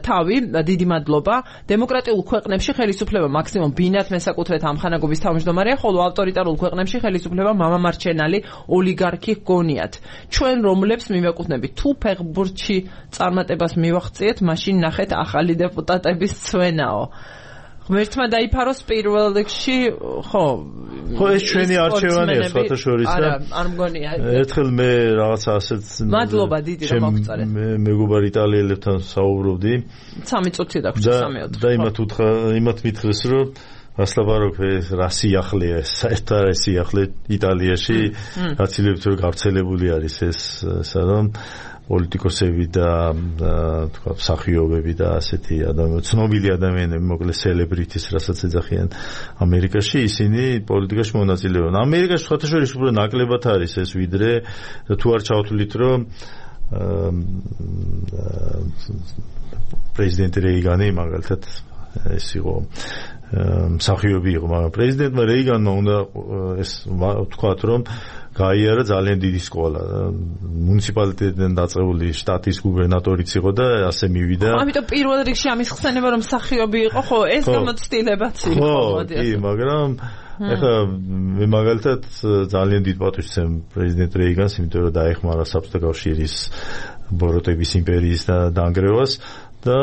თავი, დიდი მადლობა. დემოკრატიულ ქვეყნებში ხელისუფლება მაქსიმუმ ბინათ მესაკუთრეთ ამხანაგობის თავმჯდომარეა, ხოლო ავტორიტარულ ქვეყნებში ხელისუფლება მამამარჩენალი ოლიგარქი გონიათ. ჩვენ რომლებს მივეკუთვნებით, თუ ფეხბურთში წარმატებას მივახციეთ, მაშინ ნახეთ ახალი დეპუტატების ცვენაო. ღმერთმა დაიფაროს პირველ რიგში, ხო. ხო, ეს ჩვენი არჩევანია, სხვათა შორის და არა, არ მგონია. ერთხელ მე რაღაცა ასეთ მადლობა დიდი რომ მოგწარეთ. მე მეგობარ იტალიელებთან საუბრობდი. სამი წუთი დაგვრჩა სამეოთხე. და იმათ უთხრა, იმათ მითხრეს, რომ ასლაბაროქ ეს რა სიახლეა, საერთოდ რა სიახლე იტალიაში, გაცილებთ რომ გავრცელებული არის ეს, სადამ პოლიტიკოსები და თქვა მსახიობები და ასეთი ადამიანები, ცნობილი ადამიანები, მოკლედ სელებრიტის, რასაც ეძახიან ამერიკაში, ისინი პოლიტიკაში მონაწილეობენ. ამერიკაში სხვათა შორის უფრო ნაკლებად არის ეს ვიდრე თუ არ ჩავთვლით, რომ პრეზიდენტი რეიგანი მაგალითად ეს იყო მსახიობი იყო, მაგრამ პრეზიდენტმა რეიგანმა უნდა ეს ვთქვათ, რომ გაიარა ძალიან დიდი სკოლა. მუნიციპალიტეტიდან დაწყებული შტატის გუბერნატორიც იყო და ასე მივიდა. ამიტომ პირველ რიგში ამის ხსენება რომ მსახიობი იყო, ხო, ეს გამოცდილებაც იყო. ხო, კი, მაგრამ ეხლა მე მაგალითად ძალიან დიდ პატივს ვცემ პრეზიდენტ რეიგანს, იმიტომ რომ დაეხმარა საბჭოთა კავშირის ბოროტების იმპერიის და დანგრევას. და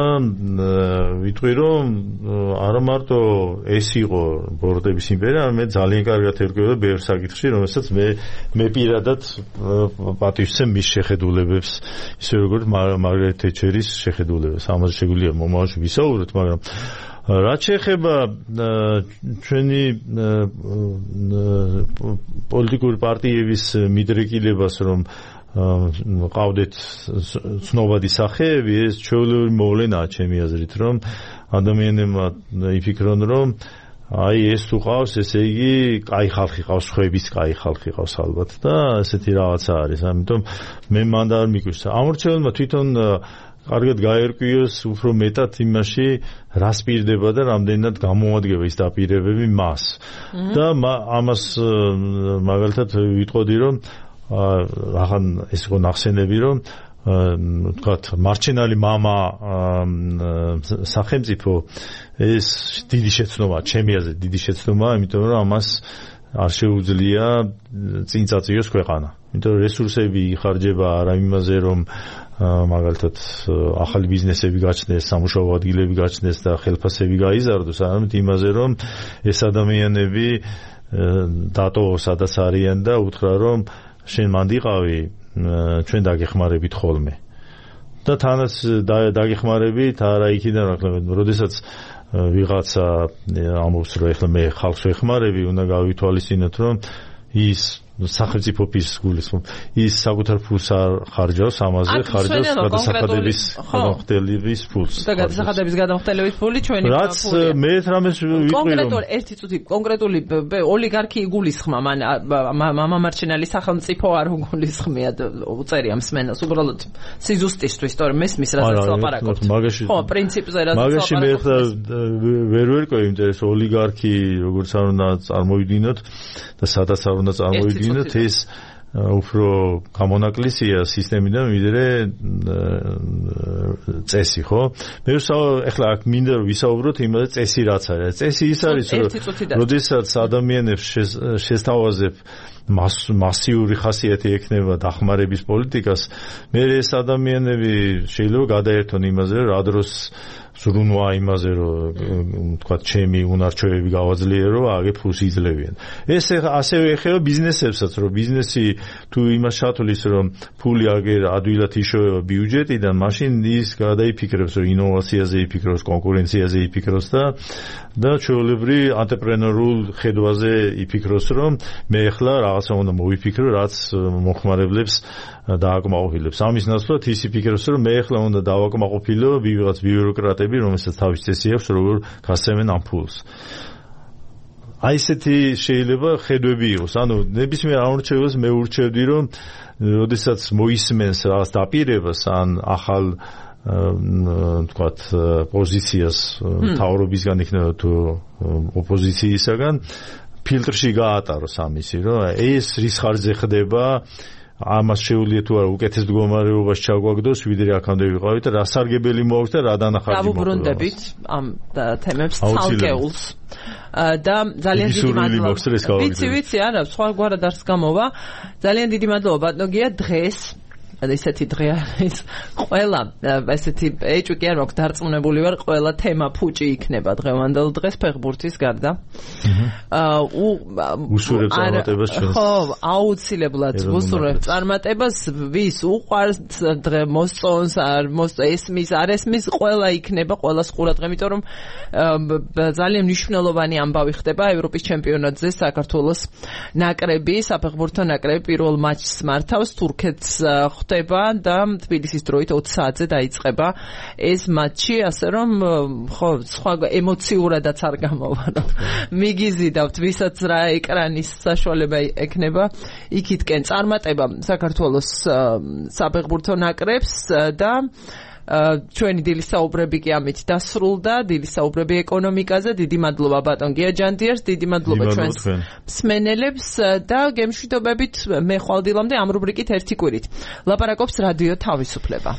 ვიტყვი რომ არა მარტო ეს იყო ბოროტების იმპერია, არამედ ძალიან კარგად ერკვეოდა ბევრ საკითხში, რომელსაც მე მე პირადად პატივს ვცემ მის შეხედულებებს, ისე როგორც მარგარეტ თეჩერის შეხედულებებს. ამაზე შეგვიძლია მომავალში ვისაუბროთ, მაგრამ რაც შეეხება ჩვენი პოლიტიკური პარტიების მიდრეკილებას, რომ ყავდეთ ცნობადი სახეები, ეს ჩვეულებრივი მოვლენაა ჩემი აზრით, რომ ადამიანებმა იფიქრონ, რომ აი ეს თუ ყავს, ესე იგი კაი ხალხი ყავს, ხვების კაი ხალხი ყავს ალბათ და ესეთი რაღაცა არის. ამიტომ მე მანდ არ მიგვიშ. ამორჩეულმა თვითონ კარგად გაერკვიოს უფრო მეტად იმაში, რას პირდება და რამდენად გამოადგება ის დაპირებები მას. და ამას მაგალითად ვიტყოდი, რომ აღან ეს იყო ნახსენები, რომ ვთქვათ, მარჩენალი მამა სახელმწიფო ეს დიდი შეცდომაა, ჩემი აზრით დიდი შეცდომაა, იმიტომ რომ ამას არ შეუძლია წინ წაწიოს ქვეყანა. იმიტომ რომ რესურსები იხარჯება არა იმაზე, რომ მაგალითად ახალი ბიზნესები გაჩნდეს, სამუშაო ადგილები გაჩნდეს და ხელფასები გაიზარდოს, არამედ იმაზე, რომ ეს ადამიანები დატოვოს სადაც არიან და უთხრა, რომ შენ მანდიყავი, ჩვენ დაგეხმარებით ხოლმე. და თანაც დაგეხმარებით არა იქიდან აკლებ, როდესაც ვიღაცა ამბობს, რომ ეხლა მე ხალხს ვეხმარები, უნდა გავითვალისწინოთ, რომ ის სახელმწიფო ფის გულისხმობ. ის საკუთარ ფულს არ ხარჯავს, ამაზე ხარჯავს გადასახადების გადამხდელების ფულს. და გადასახადების გადამხდელების ფული ჩვენი ფულია. რაც მე რამეს ვიყრი, რომ კონკრეტული ერთი წუთი კონკრეტული ოლიგარქი იგულისხმა, მან მამამარჩენალი სახელმწიფო არ უგულისხმია, უწერია მსმენელს, უბრალოდ სიზუსტისთვის, თორემ მესმის რასაც ლაპარაკობთ. ხო, პრინციპზე რასაც ლაპარაკობთ. მაგაში მე ხა ვერ ვერკვევი, იმიტომ ეს ოლიგარქი როგორც არ უნდა წარმოვიდგინოთ და სადაც არ უნდა წარმოვიდგინოთ, ეს უფრო გამონაკლისია სისტემიდან ვიდრე წესი, ხო? მე ახლა აქ მინდა რომ ვისაუბროთ იმაზე, წესი რაც არის. წესი ის არის, რომ როდესაც ადამიანებს შესთავაზებ მასიური ხასიათი ექნება დახმარების პოლიტიკას, მე ეს ადამიანები შეიძლება გადაერთონ იმაზე, რა დროს ზრუნვა იმაზე რომ თქვა ჩემი უნარჩვევები გავაძლიერო აგე ფულს იძლევიან ეს ასევე ეხება ბიზნესებსაც რომ ბიზნესი თუ იმას ჩათვლის რომ ფული აგერ ადვილად იშოვება ბიუჯეტიდან მაშინ ის გადაიფიქრებს რომ ინოვაციაზე იფიქროს კონკურენციაზე იფიქროს და და ჩვეულებრივ ანტრეპრენორულ ხედვაზე იფიქროს რომ მე ახლა რაღაცა უნდა მოვიფიქრო რაც მოხმარებლებს დააკმაყოფილებს ამის ნაცვლად ის იფიქროს რომ მე ახლა უნდა დავაკმაყოფილო ვიღაც ბიუროკრატები რომელსაც თავის წესი აქვს როგორ გასცემენ ამ ფულს აი ესეთი შეიძლება ხედვები იყოს ანუ ნებისმიერ ამორჩევას მე ურჩევდი რომ როდესაც მოისმენს რაღაც დაპირებას ან ახალ თქვათ პოზიციას თავრობისგან იქნება თუ ოპოზიციისგან ფილტრში გაატაროს ამისი რომ ეს რის ხარჯზე ხდება ამას შეუძლია თუ არა უკეთეს მდგომარეობაში ჩაგვაგდოს ვიდრე აქამდე ვიყავით რა სარგებელი მოაქვს და რა დანახარჯი მოაქვს დავუბრუნდებით ამ თემებს ცალკეულს და ძალიან დიდი მადლობა ვიცი ვიცი არა სხვაგვარად არც გამოვა ძალიან დიდი მადლობა ბატონო გია დღეს ესეთი დღე არის ყველა ესეთი ეჭვი კი არ მაქვს დარწმუნებული ვარ ყველა თემა ფუჭი იქნება დღევანდელ დღეს ფეხბურთის გარდა უსურებს წარმატებას ჩვენს ხო აუცილებლად უსურებს წარმატებას ვის უყვარს დღე მოსწონს არ ესმის არ ესმის ყველა იქნება ყველას ყურადღება იმიტომ რომ ძალიან მნიშვნელოვანი ამბავი ხდება ევროპის ჩემპიონატზე საქართველოს ნაკრები საფეხბურთო ნაკრები პირველ მატჩს მართავს თურქეთს და თბილისის დროით ოცი საათზე დაიწყება ეს მატჩი ასე რომ ხო სხვა ემოციურადაც არ გამოვა რომ მიგიზიდავთ ვისაც რა ეკრანის საშუალება ექნება იქითკენ წარმატება საქართველოს საფეხბურთო ნაკრებს და ჩვენი დილის საუბრები კი ამით დასრულდა დილის საუბრები ეკონომიკაზე დიდი მადლობა ბატონ გია ჯანდიერს დიდი მადლობა ჩვენს მსმენელებს და გემშვიდობებით მე ხვალდილამდე ამ რუბრიკით ერთი კვირით ლაპარაკობს რადიო თავისუფლება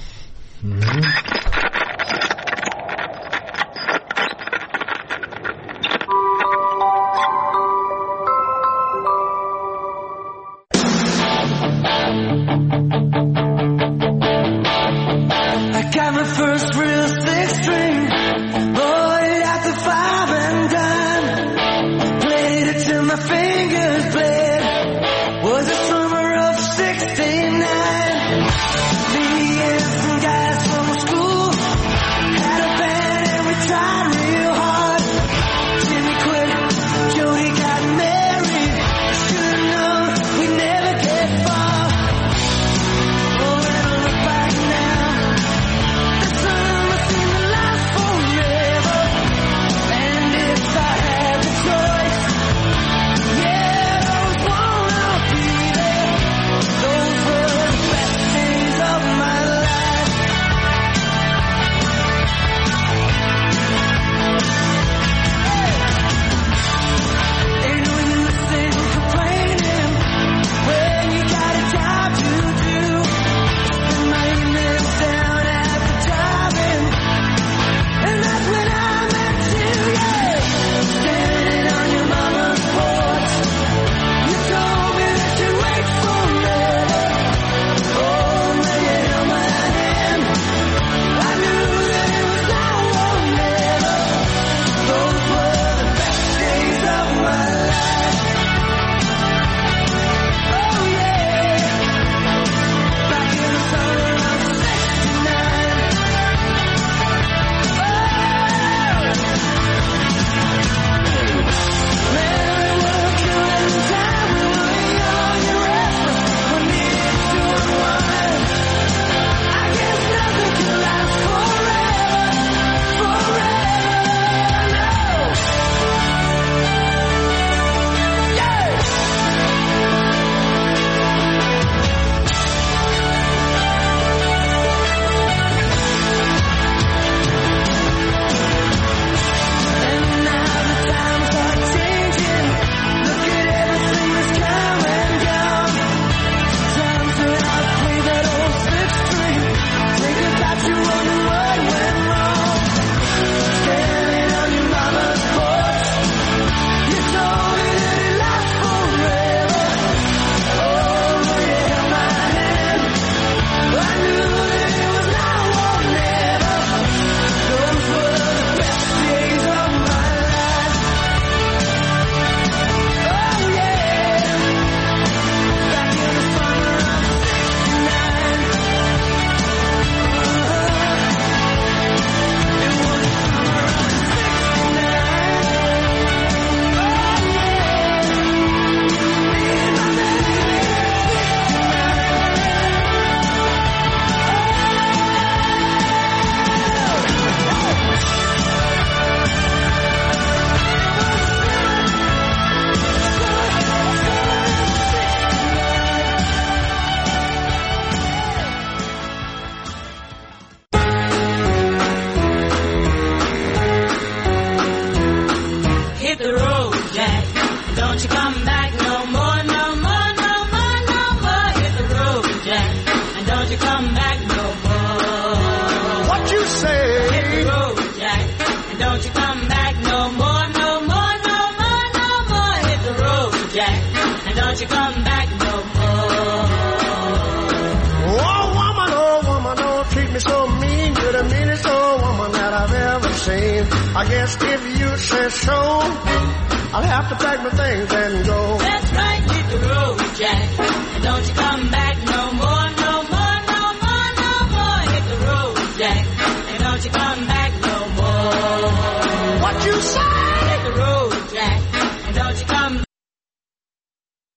sixty-nine, me and some guys from school back no more, no more, no more, no more. Hit the road, Jack, and don't you come back no more. What you say? Hit the road, Jack, and don't you come back no more, no more, no more, no more. Hit the road, Jack, and don't you come back no more. Oh woman, oh woman, don't treat me so mean. You're the meanest old woman that I've ever seen. I guess if you say so, I'll have to pack my things and go.